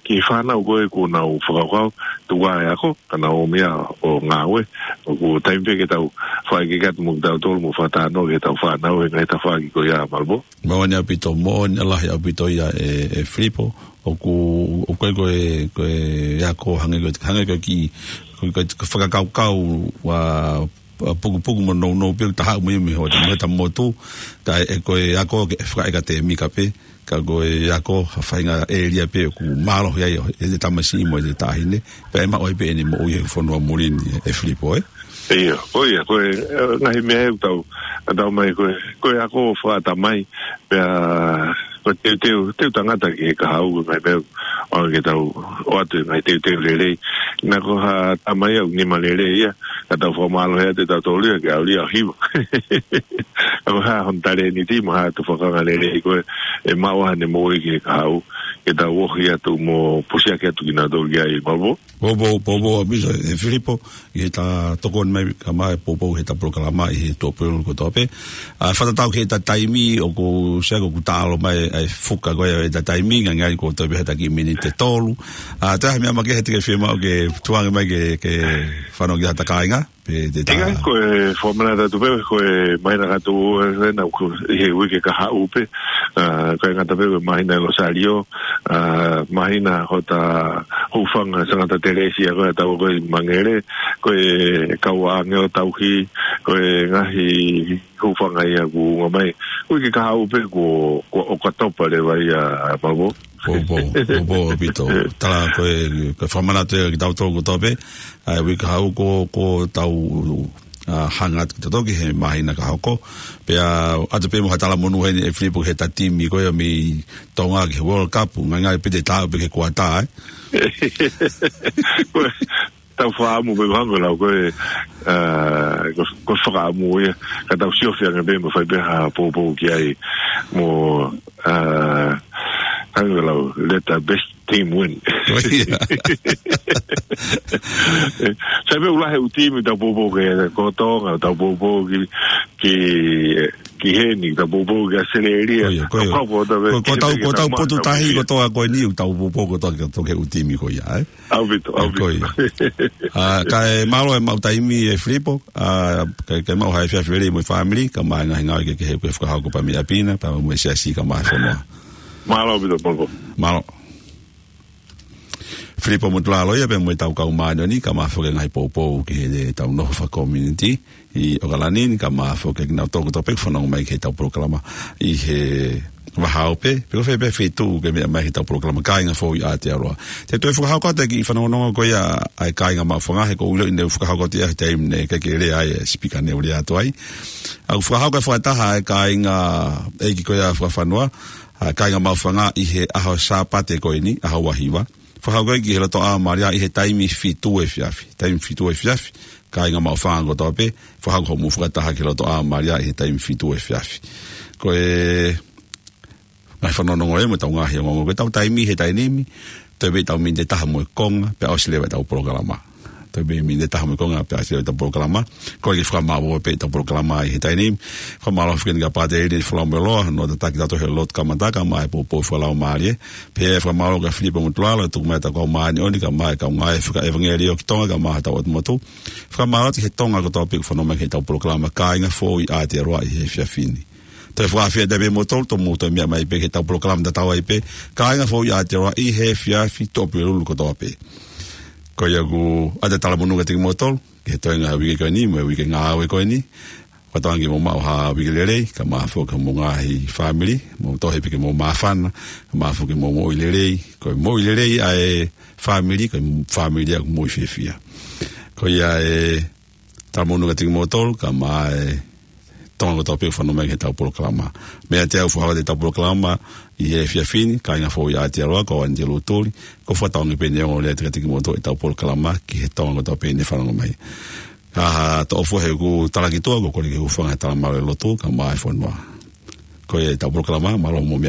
Ki he fānau ko ē ʻoku nau fakakaukau, tuku ā e ako, ka nau ō mai ʻo ngāue, ʻoku taimi pē ke tau fai ke katu mo kitautolu mo fakatalanoa ki heʻetau fānau he ngaahi tafaʻaki ko ia, Malvo. Moʻoni ʻaupito, moʻoni lahi ʻaupito ia ē, ē Filipo, ʻoku, ʻoku ʻikai ko e, ko e ako hangē ko e, hangē ko e kiʻi, ko e, ko e fakakaukau ʻa, ʻa pukupuku mo nounou pē ʻoku ta haʻu mo ia mei hota, mei hota motu, ka ʻe, ko e ako ke fakaʻekatēmika pē, ka ko e ako ha faʻahinga ʻēlia pē ʻoku mālohi ai ʻa e tamasiʻi mo e taʻahine, pea ʻe maʻu ai pē ʻene moʻui he fonua muli ni ē Filipo ē. ʻIo, ko ia, ko e, ʻa, ngaahi meʻa ʻoku tau, ʻa, tau mai ko e, ko e ako fakatamai, pea ko e teuteu, teu tangata ki he kahaʻu, ko e ngaahi meʻa ʻoku ʻaonga ke tau ʻoatu e ngaahi teuteu lelei. Naʻa ko ha tamai ʻoku nima lelei ia, ka tau fakamālohi atu ʻe tautolu ia ke ʻalu ia ʻo hiva. Ka ko e hā hono talēniti mo e hā e tufakanga lelei ko ē ʻe maʻu ai haʻane moʻui ki he kahaʻu, ke tau ohi atu mo pusiaki atu kinautolu ki ai, Malvo. Poupou, poupou ʻaupito ē Filipo, ʻi heʻeta tokoni mai ka mai poupou heʻeta polokalama ʻi he tuʻapulelulu kotoa pē. ʻA, fakatatau ki heʻeta taimi ʻoku sai ko ʻeku taʻalo mai ʻa e fuka ko ē ʻeta taimi, ngangali ko e toe pē ha kiʻi miniti ʻe tolu. ʻA, toe ha meʻa makehe te ke fiemaʻu ke tuku ange mai ke, ke fanongo ki hota kāinga, pe te ta. ʻIkai, ko e fakamanatu atu pē, ko e māhina ka tuʻu ē, ē, naʻa ku, ʻi he uike kahaʻu pē, ʻA, ko e ngata pē ko e māhina ʻi Losālio, ʻa, māhina hota hūfanga Sangata Telesia ko e tau ko e Mangele, ko e kau ange ʻo tauhi, ko e ngaahi hūfanga ia kuo ʻomai. Uike kahaʻu pē ko, ko ʻOkatopa leva ia, Malvo. Poupou, poupou ʻaupito. Tala ko e, ko e fakamanatu ia kiate kitautolu kotoa pē, ʻa e uike kahaʻu ko, ko ʻetau, ʻa, hanga atu kitautolu ki he māhina ka hoko. Pea ʻoatu pē mo ha talamonū heni ʻe Filipo ki he ta timi ko ia mei Tonga ki he World Cup, ngai ngai pē te tau pē ki he kuata, ē. Ko e, tau fakaʻamu pē ko hangē ko e lau ko e, ʻa, ko, ko e fakaʻamu ia, ka tau siofi ange pē mo fai pē ha poupou ki ai mo, ʻa, hangē ko e lau, let the best team win. ʻO ia. Sai pē ʻoku lahi e ʻū timi tau poupou ki ai, ko Tonga, tau poupou ki, ki, ki heni, tau poupou ki ʻAositelēlia. Ko ia, ko ia. Tau kau ko tau pē Ko, ko ki tau, he ko tau tau potu tahi māmā. Kotoa ko eni, ʻoku tau poupou kotoa ki he ʻū timi ko ia, ē? ʻAupito, ʻAupito. Ko ia. ʻA, kae mālō e maʻu taimi ʻe Filipo, ʻa, kae, kae maʻu ha efiafi lelei mo e fāmili, kae ʻumaʻā e ngaahi ngāue kehekehe ʻoku ke fakahoko pē mei ʻapi na, pea mo e siasi kae ʻumaʻā e fonua. Mālō ʻaupito, Malvo. Mālō. Filipo Motulalo ia pea mo ʻetau kau māʻoniʻoni, kae ʻumaʻā foki e ngaahi poupou ki heʻetau nofo fakakomiunitī ʻi ʻOkalani ni, kae ʻumaʻā foki kinautolu kotoa pē ʻoku fanongo mai ki heʻetau polokalama ʻi he vahaʻa ope, pe ko fē pē feituʻu ʻoku ke meʻa mai ki heʻetau polokalama Kāinga Foʻou ʻi Aotearoa. Te u toe fakahoko atu e kiʻi fanongonongo ko ia ʻa e kāinga maʻufanga, he ʻoku ou ʻiloʻi naʻe fakahoko atu ia he taimi naʻe ʻikai ke lea ai e sipika naʻe lea atu ai. ʻOku fakahoko e fakataha ʻa e kāinga ʻeiki ko ia fakafanua, ʻa e kāinga maʻufanga ʻi he ʻaho Sāpate ko eni, ʻaho ua hiva. Fakahoko ia ki he lotoʻā Malia ʻi he taimi fitu efiafi. Taimi fitu efiafi, kāinga maʻufanga kotoa pē, fakahoko hoʻomou fakataha ki he lotoʻā Malia ʻi he taimi fitu efiafi. Ko e ngaahi fanongonongo ia mo ʻetau ngaahi ongoongo. Ko ʻetau taimi he taimi ni, toe pē ʻetau miniti ʻe taha mo e konga, pea ʻosi leva ʻetau polokalama. Toe pē miniti ʻe taha mo e konga, pea ʻosi leva ʻetau polokalama. Ko e kiʻi fakamālō pē ʻetau polokalama ʻi he taimi ni. Fakamālō foki kia Pātele Folau Meloa, hono tataki kitautolu he lotu kamata kae ʻumaʻā e poupou fakalaumālie. Pea fakamālō kia Filipo Motulalo, tuku mai ʻetau kau māʻoniʻoni, kae ʻumaʻā e kau ngāue fakaʻevangeliō ki Tonga, kae ʻumaʻā hotau ʻOtu Motu. Fakamālō atu ki he Tonga kotoa pē ʻoku fanongo mai ki heʻetau polokalama Kāinga Foʻou ʻi Aotearoa ʻi he efiafi ni. Toe fakaafeʻi atu pē kimoutolu, tomuʻa toe meʻa mai pē ki heʻetau polokalama tatau ai pē, Kāinga Foʻou ʻi Aotearoa ʻi he efiafi, Tuʻapulelulu kotoa pē. Ko ia ʻoku ʻoatu e talamonū kiate kimoutolu ki he toenga e uike ko eni, mo e uike ngāue ko eni. Fakatauange ke mou maʻu ha uike lelei, kae ʻumaʻā foki homou ngaahi fāmili, mou tohi pē ke mou māfana, kae ʻumaʻā foki ke mou moʻui lelei, ko e moʻui lelei ʻa e fāmili, ko e fāmili ʻoku moʻui fiefia. Ko ia e talamonū kiate kimoutolu, kae ʻumaʻā e Tonga kotoa pē ʻoku fanongo mai ki heʻetau polokalama. Meʻa atu au, fakahoko atu ʻetau polokalama ʻi he efiafi ni, Kāinga Foʻou ʻi Aotearoa, ko au ʻAnitelū Tuli, ʻoku ou fakatauange pē naʻe ongo lelei atu kiate kimoutolu ʻetau polokalama ki he Tonga kotoa pē ʻoku ne fanongo mai. Kae toʻo fua he ʻeku talaki tuʻa, ʻoku ou kole ke hūfanga he talamalu ʻo e lotu, kae ʻumaʻā e fonua. Ko ia ʻetau polokalama, mālō hoʻomou meʻa